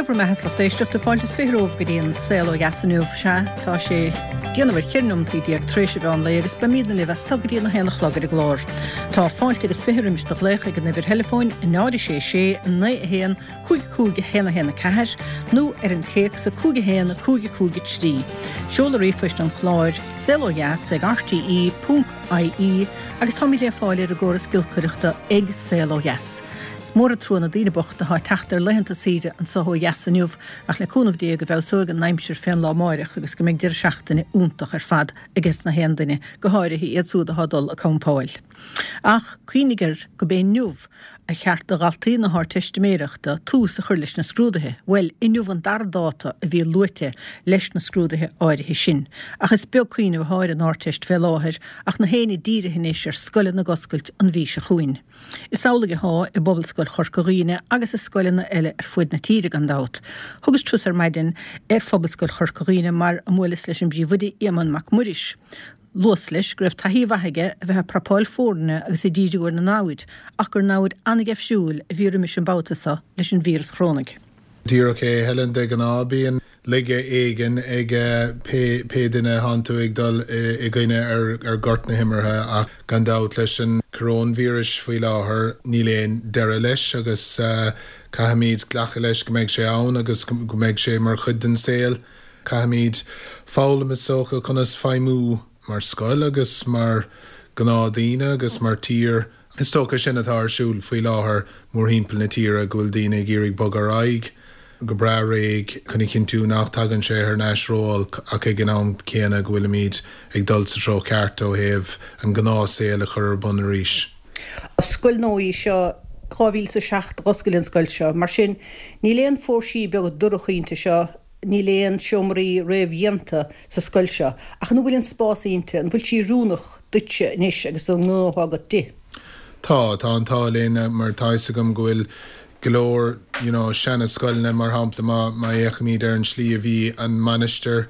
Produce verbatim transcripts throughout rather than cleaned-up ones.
Lá bhur mbeatha, a lucht éisteachta, fáilte is fiche romhaibh go dtí an Saol Ó Dheas inniu. Sea, tá sé déanamh ar cheithre nóimeataí déag tar éis an mheán lae agus beimidne libh as so go dtí an a haon a chlog ar an gclár. Tá fáilte agus fiche roimis do ghlaoch ag an uimhir theileafóin náid a sé sé naoi a haon cúig cúig a haon a haon a ceathair nó ar an téacs a cúig a haon cúig a cúig a trí. Seoladh ríomhphoist an chláir saol ó dheas ag R T E ponc I E agus táimid le fáil ar an gcóras giolcaireachta ag Saol Ó Dheas. Is mór an trua na daoine bochta atá ag teacht ar laethanta saoire anseo ó dheas inniu, ach le cúnamh Dé go bhfeabhsóidh an aimsir fén lá amáireach agus go mbeidh deireadh seachtaine iontach ar fad ages na haon duine, go háirithe iad súd atá ag dul ag campáil. Ach cuimhnigh air go b'é inniu a cheart do dhaltaí na hArdteistiméireachta tús a chur leis na scrúduithe, bhuel, inniu an dara dáta a bhí luaite leis na scrúduithe áirithe sin. Ach is beag cuimhneamh atá ar an Ardteist fé láthair ach na héinne dírithe anois ar scoileanna ag oscailt an mhí seo chugainn. Is amhlaidh atá i bPobalscoil Chorca Dhuibhne agus i scoileanna eile ar fud na tíre gan dabht. Thugas turas ar maidin ar Phobalscoil Chorca Dhuibhne mar a mbuaileas leis an bpríomhoide Éamonn Mac Muiris. Luas leis go raibh taithí mhaith aige a bheith ag prapáil foirne agus ag díriú ar na namhaid, ach gur namhaid an-gheimhsiúil a bhí roimis an mbabhta seo leis an víreas chorónach. Díreach é, Helen. De ghnáth bíonn laige éigin ag pé pé duine atánn tú ag dul i gcoinne ar ar ghort na himeartha, ach gan dabht leis an coróinvíreas faoi láthair níl aon deireadh leis agus uh, caithfimid glacadh leis go mbeidh sé ann agus go mbeidh sé mar chuid den saol. Caithfimid foghlaim is dócha conas feidhmiú mar scoil agus mar ghnáthdhaoine agus mar tír. Is dócha sin atá ar siúl faoi láthair mórthimpeall na tíre, go bhfuil daoine ag iarraidh bogadh ar aghaidh go breá réidh chun a chinntiú nach dtagann sé thar n-ais ró-olc, ach ag an am céanna go bhfuilimid ag dul sa treo ceart ó thaobh an gnáthshaol a chur ar bun arís. Scoil nua í seo, dhá mhíle is a seacht d'oscail an scoil seo, mar sin níl aon phóirsí beaga dorcha inti seo, níl aon seomraí réamhdhéanta sa scoil seo, ach an bhfuil an spás inti, an bhfuil sí oiriúnach duitse anois agus an gnó agat di? Tá tá an t-ádh linn mar tá a fhios agam go bhfuil go leor you know, seana-scoileanna, mar shampla má má fhéachaimid ar an slí a bhí an Mainistir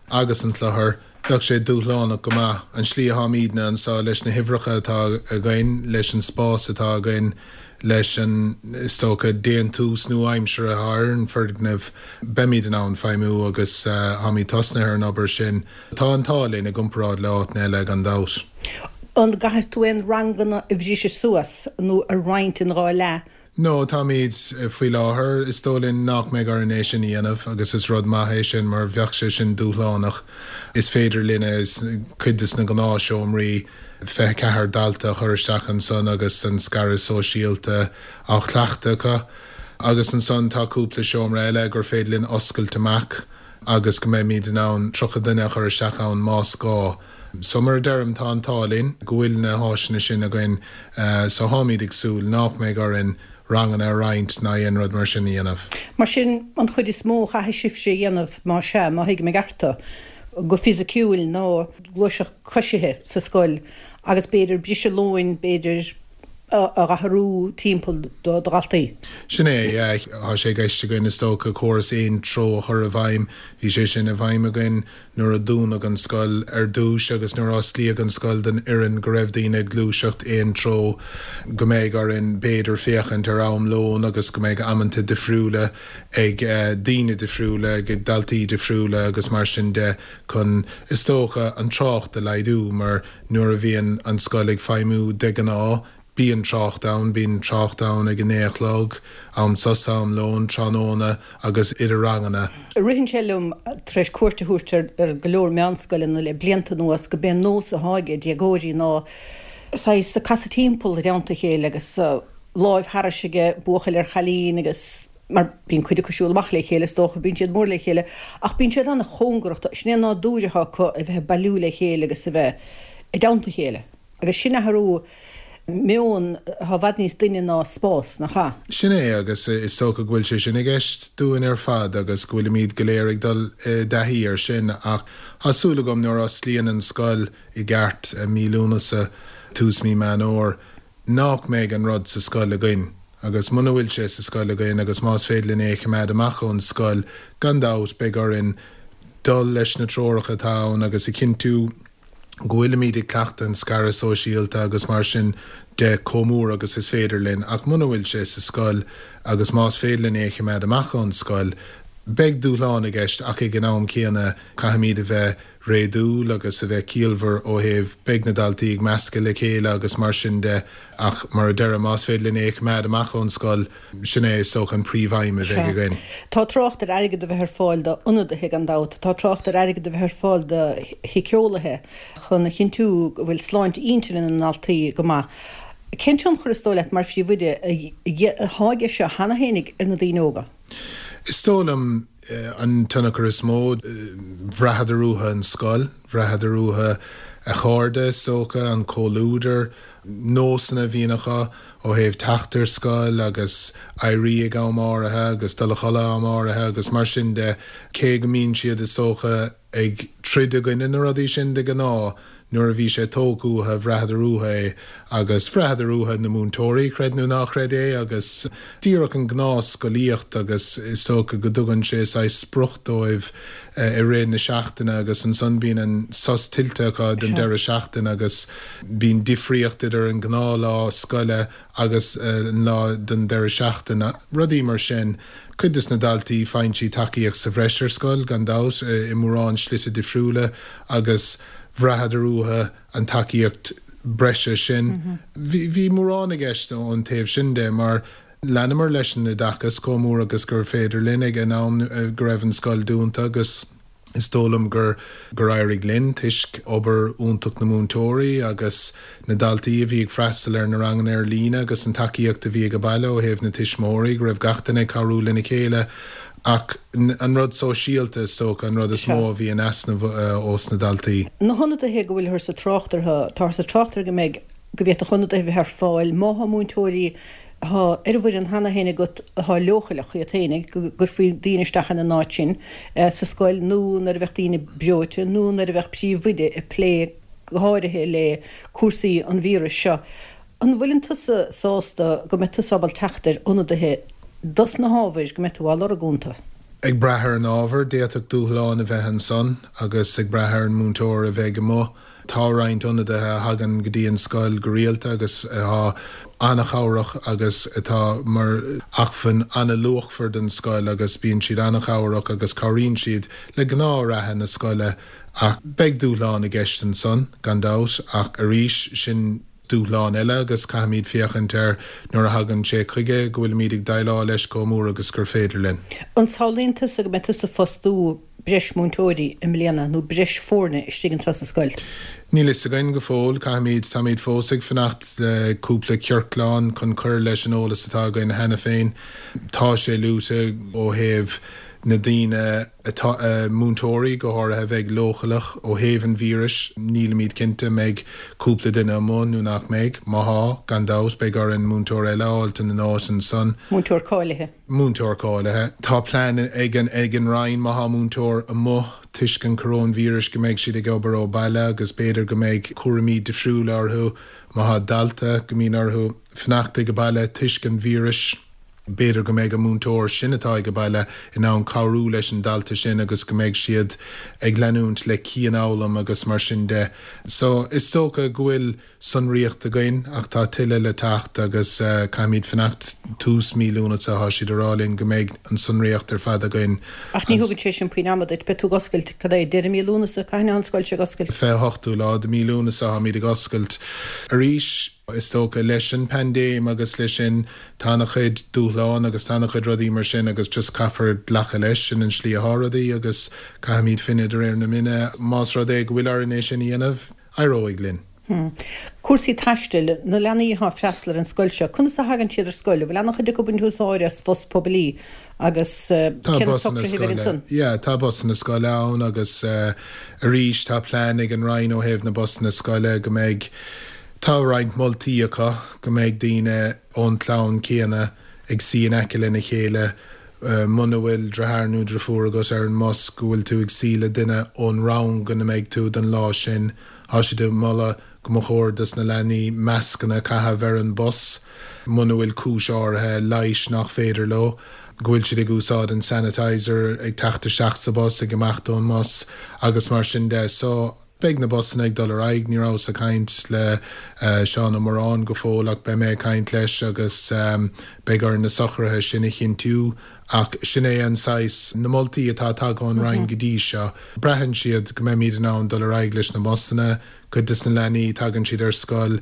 agus an Clochar, bheadh sé dúshlánach go maith. An slí atáimidne anseo leis na huimhreacha atá againn, leis an spás atá againn, leis an is dócha déantús nua-aimseartha ar an foirgneamh, beimid in ann feidhmiú agus táimid tosnaithe ar an obair sin. Tá an t-ádh linn i gcomparáid le áiteanna eile gan dabht. An gcaithfidh tú aon ranganna a bhriseadh suas nó a roinnt in dhá leath? No, táimid faoi láthair, is dóigh linn nach mbeidh orainn é sin a dhéanamh agus is rud maith é sin mar bheadh sé sin dúshlánach. Is féidir linne cuid de na gnáthsheomraí fiche ceathair dalta a chur isteach ansan agus an scaradh sóisialta á chleachtadh acu. Agus ansan tá cúpla seomra eile gur féidir linn oscailt amach agus go mbeimid in ann tríocha duine a chur isteach ann más gá. So mar a deirim, tá an t-ádh linn go bhfuil na háiseanna sin againn, so táimid ag súil nach mbeidh orainn ranganna a roinnt ná aon rud mar sin a dhéanamh. Mar sin an chuid is mó chaithfidh sibhse a dhéanamh, má sea, má thuigim i gceart go fisiciúil, ná gluaiseacht coisithe sa scoil agus b'fhéidir briseadh lóin, b'fhéidir a athrú timpeall do dhaltaí. Sin é, tá sé i gceist againn is dócha córas aon treo a chur i bhfeidhm. Bhí sé sin i bhfeidhm againn nuair a dúnadh an scoil ar dtús agus nuair a osclaíodh an scoil don fhoireann, go raibh daoine ag gluaiseacht aon treo, go mbeidh orainn b'fhéidir féachaint ar am lóin agus go mbeidh amanta difriúla ag daoine difriúla, ag daltaí difriúla agus mar sin de, chun is dócha an trácht a laghdú, mar nuair a bhíonn an scoil ag feidhmiú de ghnáth bíonn trácht ann, bíonn trácht ann ag a naoi a chlog, am sosa, am lóin, tráthnóna agus idir ranganna. Ritheann sé liom, tar éis cuairt a thabhairt ar go leor meánscoileanna le blianta anuas, go b'é an nós atá ag déagóirí ná saghas casadh timpeall i dteannta a chéile agus láimh thairis ag buachaill ar chailín, agus mar bíonn cuid acu siúl amach le chéile is dócha, bíonn siad mór le chéile, ach bíonn siad an-chóngarach. Sin é an nádúr atá acu, a bheith ag bailiú le chéile agus a bheith i dteannta a chéile, agus sin athrú meoin atá i bhfad níos doimhne ná spás, nach ea? Sin é, agus is dócha go bhfuil sé sin i gceist dúinn ar fad agus go bhfuilimid go léir ag dul i dtaithí air sin, ach tá súil agam nuair a osclaíonn an scoil i gceart mí Lúnasa, tús mí Meán Fómhair, nach mbeidh an rud sa scoil againn. Agus muna bhfuil sé sa scoil againn agus más féidir linn é a choimeád amach ón scoil, gan dabht beidh orainn dul leis na treoracha atá ann agus a chinntiú go bhfuilimid ag cleachtadh an scaradh sóisialta agus mar sin de chomh mór agus is féidir linn, ach muna bhfuil sé sa scoil agus más féidir linn é a choimeád amach ón scoil, beidh dúshlán i gceist ach ag an am céanna caithfimid a bheith réadúil agus a bheith ciallmhar ó thaobh beidh na daltaí ag meascadh le chéile agus mar sin de ach mar a deirim más féidir linn é a choimeád amach ón scoil, sin é is dócha an príomhaidhm a bheidh againn. Tá trácht ar airgead a bheith ar fáil do ionadaithe gan dabht, tá trácht ar airgead a bheith ar fáil do shíceolaithe chun a chinntiú go bhfuil sláinte intinne na ndaltaí go maith. Cén tionchar is dóigh leat mar phríomhoide atá aige seo cheana fhéinig ar na daoine óga? Is dóigh liom an tionchar is mó, bhraitheadar uathu an scoil, bhraitheadar uathu a chairde is dócha, an comhluadar, nósanna a bhíonn acu ó thaobh teacht ar scoil agus éirí ag am áirithe agus dul a chodladh am áirithe agus mar sin de, cé go mbíonn siad is dócha ag troid i gcoinne na rudaí sin de ghnáth, nuair a bhí sé tógtha uathu, bhraitheadar uathu é agus bhraitheadar uathu na múinteoirí, creid nó ná creid é, agus díreach an ghnáthscolaíocht agus is dócha go dtugann sé saghas sprioc dóibh i rith na seachtaine agus ansan bíonn an sos tuillte acu don deireadh seachtaine agus bíonn difríocht idir an gnáthlá scoile agus an lá don deireadh seachtaine, rudaí mar sin. Cuid des na daltaí faigheann siad tacaíocht sa bhreis ar scoil, gan dabht, i mórán slite difriúla agus bhraitheadar uathu an tacaíocht breise sin. Bhí mórán i gceist ón taobh sin de mar leanamar leis an oideachas chomh mór agus gur féidir linn ag an am go raibh an scoil dúnta agus is dóigh liom gur gur éirigh linn toisc obair iontach na múinteoirí agus na daltaí a bhí ag freastal ar na ranganna ar líne agus an tacaíocht a bhí ag baile ó thaobh na tuismitheoirí go raibh gach duine ag cabhrú lena chéile ach an rud sóisialta is dócha an rud is mó a bhí in easnamh ós na daltaí. Na hionadaithe go bhfuilthear sa trácht orthu, táthar sa trácht orthu go mbeidh, go bhféadfadh ionadaithe a bheith ar fáil má thá múinteoirí atá ar an bhfoireann cheana féin agat atá leochaileach iad féinig, go gcuirfí daoine isteach ina n-áit sin sa scoil nó nuair a bheadh daoine breoite nó nuair a bheadh príomhoide ag plé go háirithe le cúrsaí an víris seo. An bhfuileann tusa sásta go mbeidh tusa ábalta teacht ar ionadaithe dos na hábhair go mbeidh tú á lorg iontu? Ag brath ar an ábhar, d'fhéadfadh dúshlán a bheith ansan agus ag brath ar an múinteoir a bheidh amuigh. Tá roinnt ionadaithe a thagann go dtí an scoil go rialta agus atá an-chabhrach agus atá mar acmhainn an-luachmhar don scoil agus bíonn siad an-chabhrach agus cabhraíonn siad le gnáth-reatha na scoile ach beidh dúshlán i gceist ansan, gan dabht, ach arís, sin dúshlán eile agus caithfimid féachaint air nuair a thagann sé chuige go bhfuilimid ag déileáil leis chomh mór agus gur féidir linn. An samhlaíonn tusa go mbeidh tusa ag fostú breis múinteoirí i mbliana nó breis foirne istigh anseo sa scoil? Níl fhios againn go fóill. Caithfimid, táimid fós ag fanacht le cúpla ciorclán chun cur leis an eolas atá againn cheana féin. Tá sé luaite ó thaobh na daoine atá, múinteoirí go háirithe, a bheidh leochaileach ó thaobh an víris. Nílimid cinnte an mbeidh cúpla duine amuigh nó nach mbeidh. Má thá, gan dabht, beidh orainn múinteoir eile a fháilt ina n-áit ansan. Múinteoir cáilithe. Múinteoir cáilithe. Tá plean ag an ag an Roinn má thá múinteoir amuigh toisc an choróinvíris go mbeidh siad ag obair ó bhaile agus b'fhéidir go mbeidh cúraimí difriúla orthu má thá dalta go mbíonn orthu fanacht ag baile toisc an víris. B'fhéidir go mbeidh an múinteoir sin atá ag baile in ann cabhrú leis an dalta sin agus go mbeidh siad ag leanúint le cianfhoghlaim agus mar sin de. So is dócha go bhfuil sonraíocht againn ach tá tuilleadh le teacht agus caithfimid fanacht tús mí Lúnasa tá siad ag rá linn go mbeidh an sonraíocht ar fad againn. Ach ní thugann sé sin puinn ama duit, beidh tú ag oscailt, cad é, deireadh mí Lúnasa, cathain atá an scoil seo ag oscailt? fiche a hochtú lá de mí Lúnasa táimid ag oscailt arís. Is dócha, leis an paindéim agus leis sin, tá ana-chuid dúshlán agus tá ana-chuid rudaí mar sin agus just caithfear glacadh leis, sin an slí atá rudaí agus caithfimid fine de réir na mine. Más rud é go bhfuil orainn é sin a dhéanamh, éireoidh linn. Cúrsaí taistil, na leanaí atá ag freastal ar an scoil seo, conas a thagann siad ar scoil? An bhfuil ana-chuid acu ag baint úsáid as bus poiblí agus Tá cé na busanna socruithe a bheidh scoile, ansan? yeah, tá busanna scoile ann agus arís tá plean ag an Roinn ó thaobh na busanna scoile go mbeidh, Tá roinnt moltaí acu go mbeidh daoine ón chlann céanna ag suí in aice lena chéile muna bhfuil deartháir nó deirfiúr agat ar an mbus, go bhfuil tú ag suí le duine ón rang ina mbeidh tú don lá sin. Tá siad ag moladh go mba chóir dos na leanaí mascanna a chaitheamh ar an bus muna bhfuil cúis áirithe leighis nach féidir leo, go bhfuil siad ag úsáid an sanitizer ag teacht isteach sa bhus, ag imeacht ón mbus agus mar sin de. So. Beidh na busanna ag dul ar aghaidh, ní rabhas ag caint le Seán Ó Móráin go fóill ach beidh mé ag caint leis agus beidh orainn na socruithe sin a chinntiú ach sin é an saghas, na moltaí atá tagtha ón Roinn go dtí seo. Braitheann siad go mbeimid in ann dul ar aghaidh leis na busanna, cuid de na leanaí tagann siad ar scoil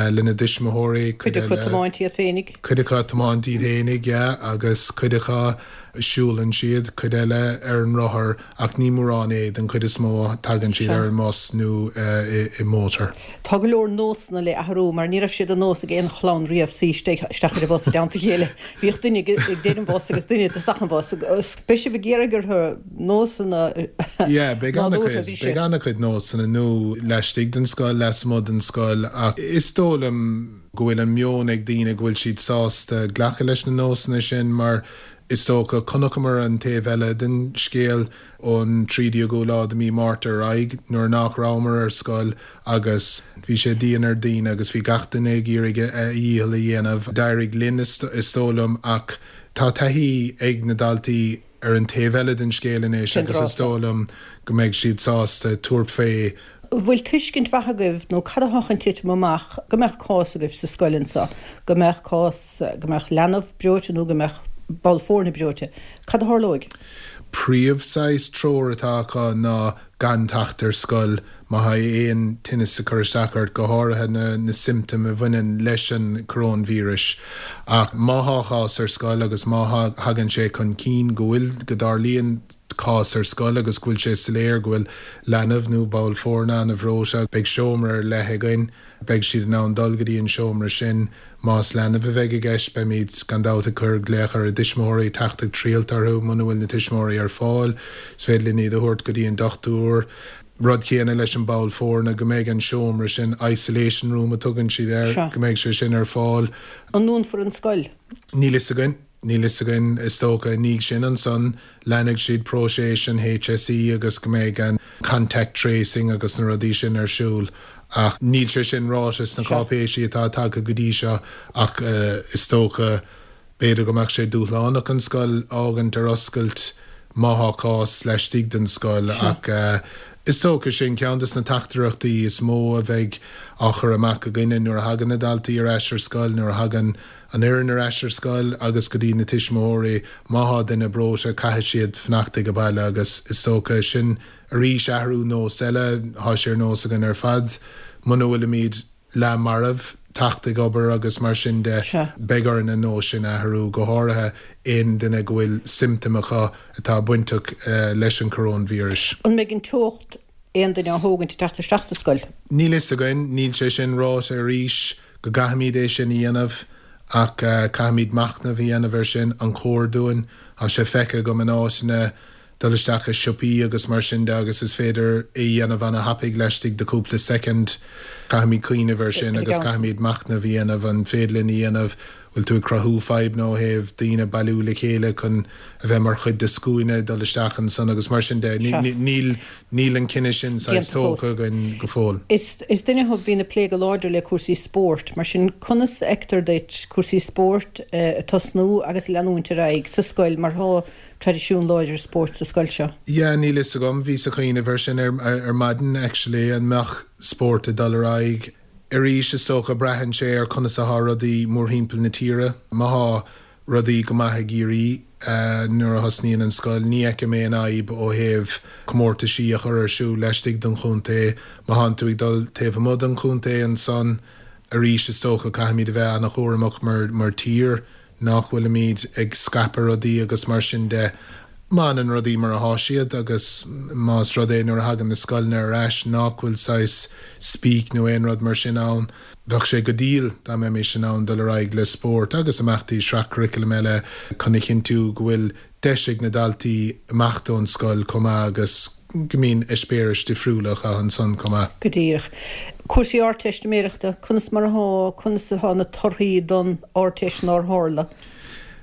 lena dtuismitheoirí, cuid acu ag tiomáint iad féinig. Cuid acu ag tiomáint iad féinig, yeah, agus cuid acu siúlann siad, cuid eile ar an rothar ach ní mórán é, den chuid is mó tagann siad ar an mbus nó i mótar. Tá go leor nósanna le athrú mar ní raibh sé de nós ag aon chlann riamh suí isteach ar an bhus i dteannta a chéile. Bhíodh duine ag deireadh an bhus agus duine i dtosach an bhus. Beidh sibh ag iarraidh orthu nósanna Yeah, beidh an-chuid, beidh an-chuid nósanna nua laistigh den scoil, lasmuigh den scoil ach is dóigh liom go bhfuil an meon ag daoine go bhfuil siad sásta glacadh leis na nósanna sin mar is dócha chonaiceamar an taobh eile den scéal ón trí déagú lá de mí Márta ar aghaidh nuair nach rabhamar ar scoil agus bhí sé dian ar daoine agus bhí gach duine ag iarraidh a dhícheall a dhéanamh. D'éirigh linn is dóigh liom ach tá taithí ag na daltaí ar an taobh eile den scéal anois agus is dóigh liom go mbeidh siad sásta tabhairt fé. An bhfuil tuiscint mhaith agaibh nó cad atá chun titim amach go mbeadh cás agaibh sa scoil anseo, go mbeadh cás, go mbeadh leanbh breoite nó go mbeadh ball foirne breoite? Cad a tharlóidh? Príomh saghas treoir atá acu ná gan teacht ar scoil má thá aon tinneas ag cur isteach ort, go háirithe na na siomptóim a bhaineann leis an coróinvíreas. Ach má thá cás ar scoil agus má thagann sé chun cinn go bhfuil, go dtarlaíonn cás ar scoil agus go bhfuil sé soiléir go bhfuil leanbh nó ball foirne an-bhreoite, beidh seomra ar leith againn, beidh siad in ann dul go dtí an seomra sin. Más leanbh a bheidh i gceist, beimid gan dabht ag cur glaoch ar a dtuismitheoirí, teacht ag triall orthu muna bhfuil na tuismitheoirí ar fáil. Is féidir linn iad a thabhairt go dtí an dochtúir. Rud céanna leis an ball foirne, go mbeidh an seomra sin, isolation room a tugann siad air, go mbeidh sé sin ar fáil. An ndúnfar an scoil? Níl fhios againn. Níl fhios againn, is dócha, i ndiaidh sin ansan leanfaidh siad próiseas an HSE agus go mbeidh an contact tracing agus na rudaí sin ar siúl ach níl sé sin ráite sna cáipéisí atá tagtha go dtí seo ach is dócha b'fhéidir go mbeadh sé dúshlánach an scoil a fhágaint ar oscailt má thá cás laistigh den scoil ach is dócha sin ceann de na teachtaireachtaí is mó a bheidh á chur amach againne nuair a thagann na daltaí ar ais ar scoil, nuair a thagann an fhoireann ar ais ar scoil agus go dtí na tuismitheoirí, má thá duine breoite caithfidh siad fanacht ag baile agus is dócha sin arís athrú nós eile, thá sé ar nós againn ar fad muna bhfuilimid leath marbh teacht ag obair agus mar sin de, beidh orainn an nós sin a athrú, go háirithe aon duine go bhfuil siomptóim acu atá bainteach leis an coróinvíreas. An mbeidh an teocht aon duine á thógaint ag teacht isteach sa scoil? Níl fhios againn, níl sé sin ráite arís go gcaithfimid é sin a dhéanamh ach caithfimid machnamh a dhéanamh air sin, an cóir dúinn? Tá sé feicthe agam in áiteanna dul isteach i siopaí agus mar sin de agus is féidir é a dhéanamh ana-thapaidh laistigh de cúpla soicind. Caithfimid cuimhneamh air sin agus caithfimid machnamh a dhéanamh an féidir linn a dhéanamh, bhfuil tú ag cruthú fadhbanna ó thaobh daoine bailiú le chéile chun a bheith mar chuid de scuaine dul isteach ansan agus mar sin de. Níl níl an cinneadh sin saghas tógtha againn go fóill. Is is duine thú a bhíonn ag plé go láidir le cúrsaí spóirt, mar sin conas a fheictear duit cúrsaí spóirt ag tosnú agus ag leanúint ar aghaidh sa scoil mar thá traidisiún láidir spóirt sa scoil seo? Yeah, níl fhios agam, bhíos ag cuimhneamh air sin ar ar maidin actually, an mbeadh spórt ag dul ar aghaidh arís is dócha braitheann sé ar conas athá rudaí mórthimpeall na tíre. Má thá rudaí go maith i gCiarraí nuair a thosnaíonn an scoil, ní fheicim aon fhadhb ó thaobh comórtaisí a chur ar siúl laistigh den chontae. Má thánn tú ag dul taobh amuigh den chontae ansan arís is dócha caithfimid a bheith ana-chúramach mar mar tír nach bhfuilimid ag scaipeadh rudaí agus mar sin de. Má fhanann rudaí mar athá siad agus más rud é nuair a thagann na scoileanna ar ais nach bhfuil saghas spíce nó aon rud mar sin ann, bheadh sé go diail dá mbeimis in ann dul ar aghaidh le spórt agus imeachtaí sraith-churaclaim eile chun a chinntiú go bhfuil deis ag na daltaí imeacht ón scoil chomh maith agus go mbíonn eispéiris difriúla acu ansan chomh maith. Go díreach. Cúrsaí Ardteistiméireachta, conas mar athá, conas athá na torthaí don Ardteist nár tharla?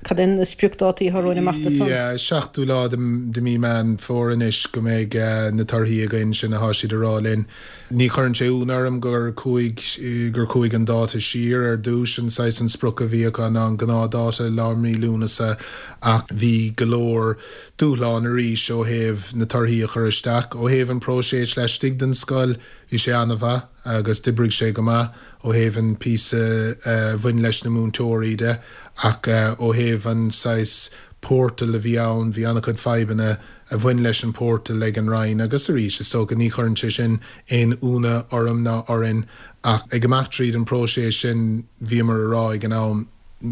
Cad é na spriocdátaí atá romhainn amach do san? Yeah, seachtú lá de mí Meán Fómhair anois go mbeidh na torthaí againn, sin athá siad a rá linn. Ní chuireann sé ionadh orm gur chuaigh gur chuaigh an dáta siar ar dtús an saghas an sprioc a bhí acu ná an gnáthdháta lár mí Lúnasa ach bhí go leor dúshlán arís ó thaobh na torthaí a chur isteach ó thaobh an próiseas laistigh den scoil bhí sé an-mhaith agus d'oibrigh sé go maith ó thaobh an píosa a bhain leis na múinteoirí de ach ó thaobh an saghas portal a bhí ann bhí an-chuid fadhbanna a bhain leis an portal ag an Roinn agus arís is dócha ní chuireann sé sin aon ionadh orm ná orainn ach ag imeacht tríd an próiseas sin bhíomar a rá ag an am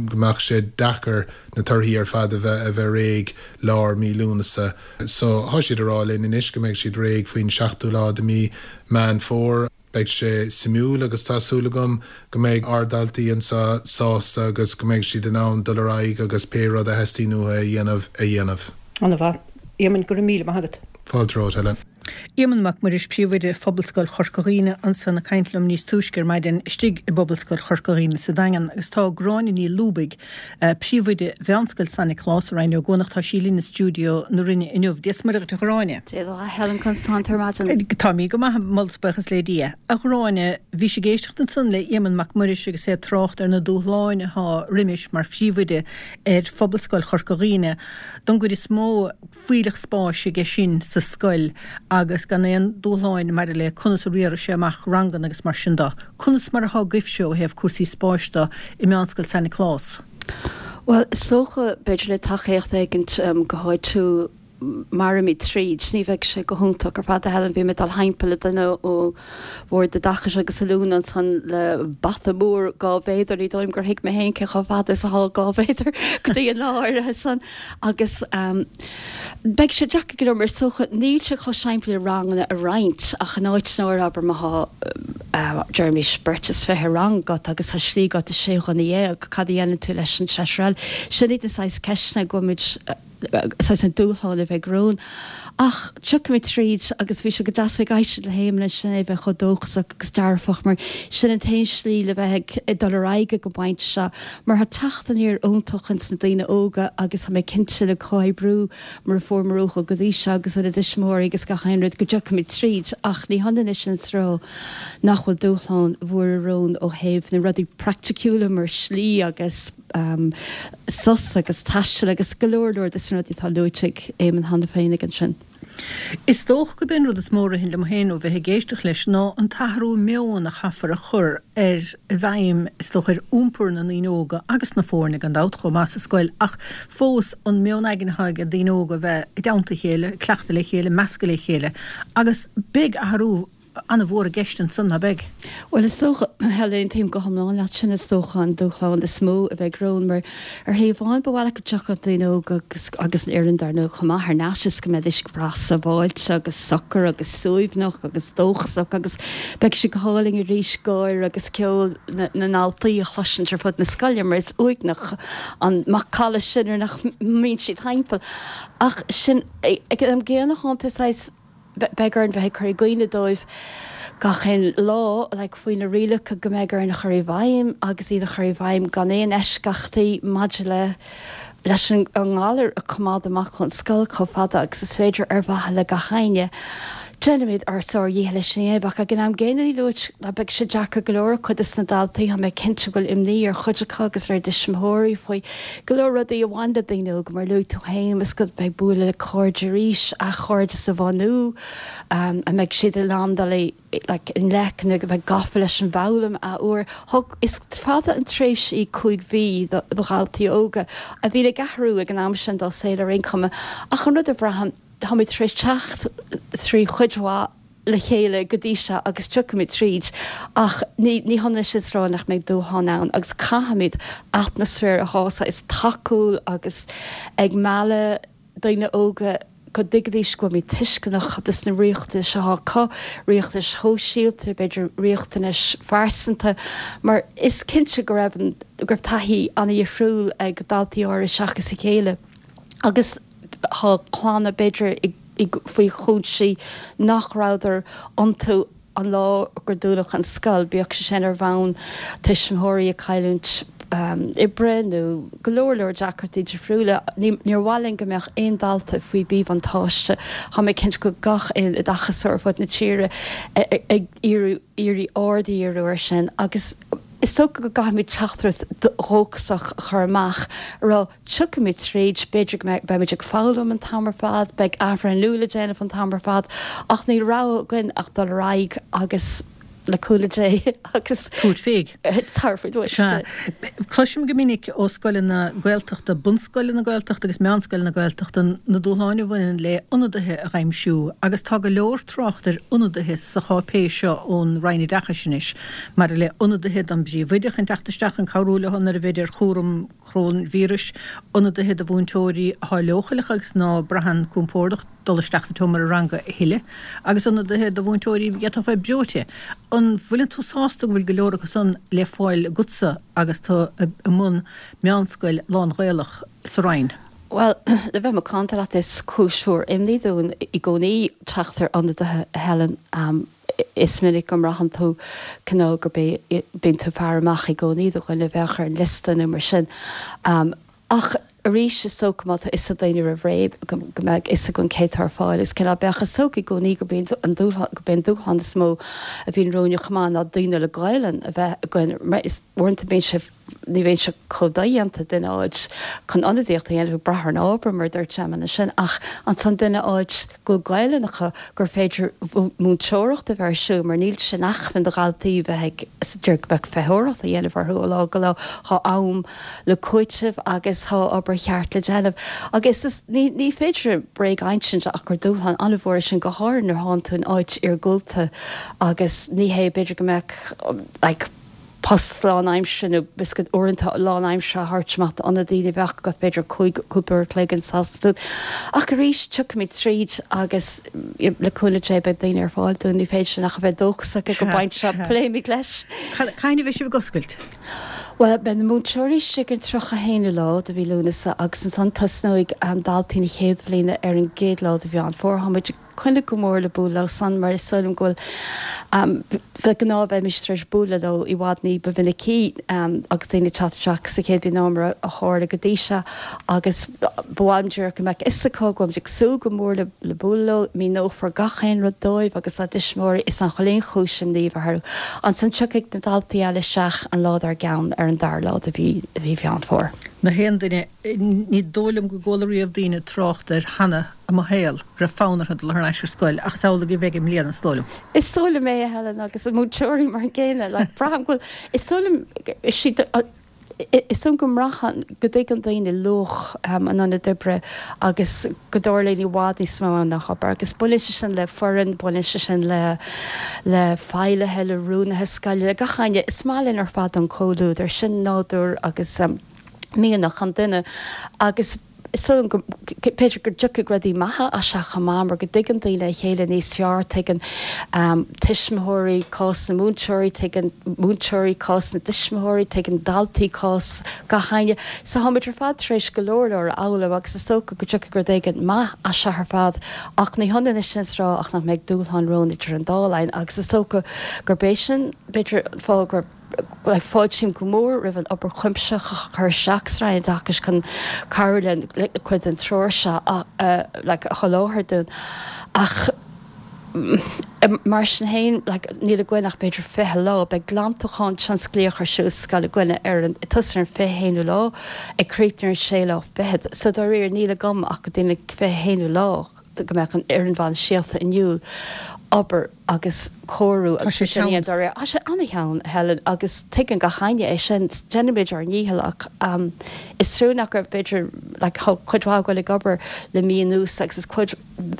go mbeadh sé deacair na torthaí ar fad a bheith a bheith réidh lár mí Lúnasa. So tá siad a rá linn anois go mbeidh siad réidh faoin seachtú lá de mí Meán Fómhair. Beidh sé suimiúil agus tá súil agam go mbeidh ár ndaltaí anseo sásta agus go mbeidh siad in ann dul ar aghaidh agus pé rud a theastaíonn uathu a dhéanamh a dhéanamh. An-mhaith. Éamonn, go raibh míle maith agat. Fáilte romhat, Helen. Éamonn Mac Muiris Príomhoide Phobalscoil Chorca Dhuibhne ansan ag caint liom níos túisce ar maidin istigh i bPobalscoil Chorca Dhuibhne sa Daingean agus tá Gráinne Ní Lúbaigh, Príomhoide Mheánscoil San Nioclás i Rinn Ó gCuanach, tá sí linn i stiúideo na Rinne inniu. Dia is Muire dhuit a Ghráinne. Dia duit a Helen, conas tánn tú ar maidin? Tá mé go maith, moladh is buíochas le Dia. A Ghráinne, bhís ag éisteacht ansan le Éamonn Mac Muiris agus é ag trácht ar na dúshláin atá roimis mar phríomhoide ar Phobalscoil Chorca Dhuibhne. Don gcuid is mó, fuílleach spáis aige sin sa scoil agus gan aon dúshláin maidir le conas a riarfaidh sé amach ranganna agus mar sin de. Conas mar atá agaibhse ó thaobh cúrsaí spáis de i Meánscoil San Nioclás? Bhuel, is dócha, b'fhéidir le tacaíocht éigint go háitiúil mairfimid tríd. Ní bheidh sé go hiontach ar fad, a Helen. Bhí mé ag dul thimpeall le duine ó Bhord Oideachais agus Oiliúna ansan le bata mór dhá mhéadar. Ní dóigh liom gur thuig mé féin cé chomh fada is atá dhá mhéadar go dtí an lá áirithe san. Agus beidh sé deacair go leor mar is dócha níl sé chomh simplí le ranganna a roinnt ach in áiteanna áirithe, abair má tá, deirimis, beirt is fiche rang agat agus tá slí agat do sé dhuine dhéag, cad a dhéanann tú leis an seisear eile? Sin iad na saghas ceisteanna go bhfuil muid, saghas na dúshláin a bheidh romhainn. Ach tiocfaimid tríd agus bhí sé go deas bheith ag éisteacht le hÉamonn ansin, é bheith chomh dóchasach agus dearfach mar sin an t-aon slí le bheith ag dul ar aghaidh ag an bpointe seo mar tá teacht aniar iontach ins na daoine óga agus tá mé cinnte le comhoibriú mar a fuaireamar uathu go dtí seo agus óna dtuismitheoirí agus gach aon rud go dtiocfaimid tríd ach ní hionann é sin is a rá nach bhfuil dúshláin mhóra romhainn ó thaobh na rudaí praiticiúla mar slí agus sos agus taisteal agus go leor leor de na rudaí atá luaite ag Éamonn cheana féin ag ansin. Is dócha gurb é an rud is mó a ritheann liom féin ó bheith ag éisteacht leis ná an t-athrú meoin a chaithfear a chur ar i bhfeidhm, is dócha, ar iompar na ndaoine óga agus na foirne gan dabht chomh maith sa scoil ach fós an meon aigne atá ag daoine óga a bheith i dteannta a chéile, ag cleachtadh le chéile, meascadh le chéile agus beidh athrú an-mhór i gceist ansan, ná beidh? Bhuel, is dócha, Helen, aontaím go hiomlán leat, sin is dócha an dúshlán is mó a bheidh romhainn, mar ar thaobh amháin ba mhaith leat go dtiocfadh daoine óga agus agus an fhoireann dar ndóigh chomh maith thar n-ais is go mbeidís go breá sábháilte agus socair agus suaimhneach agus dóchasach agus beidh sé go hálainn arís gáire agus ceol na ndaltaí a chloisint ar fud na scoile mar is uaigneach an macalla sin nuair nach mbíonn siad thimpeall. Ach sin ag an am gcéanna chomh maith, beidh orainn bheith ag cur i gcuimhne dóibh gach aon lá, like, faoi na rialacha go mbeidh orainn a chur i bhfeidhm agus iad a chur i bhfeidhm gan aon eisceachtaí maidir le leis an ngalar a choimeád amach ón scoil chomh fada agus is féidir ar mhaithe le gach éinne. Déanaimid ár sár-dhícheall leis sin a dhéanamh ach ag an am gcéanna ní luaite ná beidh sé deacair go leor ar chuid des na daltaí, tá mé cinnte go bhfuil imní ar chuid acu agus ar a dtuismitheoirí faoi go leor rudaí a bhain le daoine óga, mar a luaigh tú féin, is go mbeidh bualadh le cairde arís, athchairdeas a bhunú, an mbeidh siad in ann dul i like i ngleic nó go mbeidh gafa leis an bhfoghlaim athuair. Thug, is fada an tréimhse í cúig mhí do dhaltaí óga a bhíonn ag athrú ag an am sin dá saol ar aon chuma ach an rud a bhraithim, Táimid tar éis teacht trí chuid mhaith le chéile go dtí seo agus tiocfaimid tríd ach ní hionann sin is a rá nach mbeidh dúshláin ann agus caithfimid atmaisféar atá saghas tacúil agus ag mealladh daoine óga go dtuigfidís go bhfuilimid tuisceanach dos na riachtanais atá acu, riachtanais shóisialta, b'fhéidir riachtanais phearsanta mar is cinnte go raibh an, go raibh taithí an-dhifriúil ag daltaí áirithe seachas a chéile agus. Tá clanna, b'fhéidir, faoi chúinsí nach rabhadar iontu an lá gur dúnadh an scoil, bíodh sé sin ar bhonn tuismitheoirí ag cailliúint oibre nó go leor leor deacrachtaí difriúla. Níor mhaith linn go mbeadh aon dalta faoi mhíbhuntáiste. Tá mé cinnte go gach aon oideachasóir ar fud na tíre ag iarraidh aird a dhíriú air sin agus is dócha go gcaithfimid teachtaireacht dhóchasach a chur amach a rá tiocfaimid tríd, b'fhéidir go mbeimid ag foghlaim an t-am ar fad, beidh athbhreithniú le déanamh an t-am ar fad ach níl rogha againn ach dul ar aghaidh agus le cúnamh Dé agus tabhairt fé. Tabharfaidh duit. Sea. Cloisim go minic ó scoileanna Gaeltachta, bunscoileanna Gaeltachta agus meánscoileanna Gaeltachta, na dúshláin a bhaineann le ionadaithe a aimsiú agus tá go leor trácht ar ionadaithe sa cháipéis seo ón Roinn Oideachais anois maidir le ionadaithe don bpríomhoide chun teacht isteach chun cabhrú leo nuair a bheid ar chúram coróinvíris, ionadaithe do mhúinteoirí atá leochaileach agus ná braitheann compordach dul isteach sa tseomra ranga a thuilleadh, agus ionadaithe do mhúinteoirí a d'fhéadfadh bheith breoite. An bhfuileann tú sásta go bhfuil go leor acu san le fáil agatsa agus tú i mbun meánscoil lán-Ghaelach sa Rinn? Bhuel, le bheith macánta leat, is cúis mhór imní dúinn i gcónaí teacht ar ionadaithe, a Helen. Is minic go mbraitheann tú cineál go bíonn tú ag faire amach i gcónaí do dhuine a bheadh ar an liosta nó mar sin. Ach arís, is dócha má tá fhios ag daoine roimh ré go mbeadh fhios againn cé atá ar fáil is cineál bheadh is dócha i gcónaí gurb é an dúshlán gurb é an dúshlán is mó a bhíonn romhainn chomh maith ná daoine le Gaelainn a bheith againn mar is uaireanta bíonn sé ní bhíonn sé chomh dodhéanta duine a fháilt chun ionadaíocht a dhéanamh ag brath ar an ábhar mar a dúirt Gemma ansin ach ansan duine a fháilt go bhfuil Gaelainn acu gur féidir múinteoireacht a bheith ar siúl mar níl sé in acmhainn do dhaltaí bheith ag go mbeadh feitheoireacht a dhéanamh orthu ó lá go lá tá am le cúiteamh agus tá obair cheart le déanamh agus is ní ní féidir bréag a insint ach gur dúshlán an-mhór é sin go háirithe nuair thánn tú in áit iargúlta agus ní hé b'fhéidir go mbeadh like post lánaimseartha nó b'fhéidir uaireanta lánaimseartha a thabhairt amach d'ionadaí ní bheadh agat b'fhéidir cúig cúpla uair a chloig an tseachtain. Ach arís, tiocfaimid tríd agus le cúnamh Dé beidh daoine ar fáil dúinn, ní féidir linn ach a bheith dóchasach ag an bpointe seo, pléimid leis. Cathain a bheidh sibh ag oscailt? Bhuel, beidh na múinteoirí istigh ar an tríocha a haonú lá de mhí Lúnasa agus ansan tosnóidh daltaí na chéad bhliana ar an gcéad lá de Mheán Fómhair. Táimid ag coinne go mór le bualadh leo san mar is dóigh liom go bhfuil de ghnáth bheimis tar éis bualadh leo i bhfad ní ba mhinicí agus daoine ag teacht isteach sa chéad bhliain ná mar a tharla go dtí seo agus ba mhaith liom díreach go mbeadh fhios acu go bhfuilimid ag súil go mór le le bualadh leo, míneofar gach aon rud dóibh agus dá dtuismitheoirí is nach bhfuil aon chúis imní a bheith orthu. Ansan tiocfaidh na daltaí eile isteach an lá dár gceann ar an dara lá de mhí Mheán Fómhair. Na haon duine, ní dóigh liom go gcuala riamh daoine trácht air cheana i mo shaol, go raibh fonn orthu dul thar n-ais ar scoil, ach is amhlaidh a bheidh i mbliana, is dóigh liom. Is dóigh liom é, a Helen, agus na múinteoirí mar an gcéanna. Like, braithim go bhfuil, is dóigh liom, siad, is dóigh liom go mbraitheann, go dtuigeann daoine luach an ionaid oibre agus go dtarlaíonn i bhfad níos mó ann ná obair. Agus baineann sé sin le foireann, baineann sé sin le, le feighlithe, le rúnaithe scoile, le gach éinne. Is maith linn ar fad an comhluadar, sin nádúr agus mianach an duine agus is dóigh liom go b'fhéidir go dtiocfaidh rudaí maithe as seo chomh maith mar go dtuigeann daoine a chéile níos fearr, tuigeann tuismitheoirí cás na múinteoirí, tuigeann múinteoirí cás na dtuismitheoirí, tuigeann daltaí cás gach éinne. So táimid ar fad tar éis go leor leor a fhoghlaim agus is dócha go dtiocfaidh rud éigin maith as seo ar fad ach ní hionann é sin is rá ach nach mbeidh dúshláin romhainn idir an dá linn agus is dócha gurb é sin b'fhéidir an fáth gur Fáiltím go mór roimh an obair chuimsitheach a chur isteach sa Roinn Oideachais chun cabhrú linn cuid den treoir seo a sholáthar dúinn ach mar sin féin níl againn ach b'fhéidir fiche lá. Beidh glantachán tionsclaíoch ar siúl sa scoil againne ar an, ag tosú ar an fiche haonú lá ag críochnú ar an sé lá fichead. So dáiríre níl agam ach go dtí an fiche haonú lá. go mbeadh an fhoireann bhainistíochta inniúil obair agus cóiriú Tá sé teann. Tá sé an-teann, a Helen, agus tuigeann gach éinne é sin. Déanaimid ár ndícheall ach is trua nach raibh, b'fhéidir, like, tá cuid mhaith againn ag obair le mí anuas agus is cuid,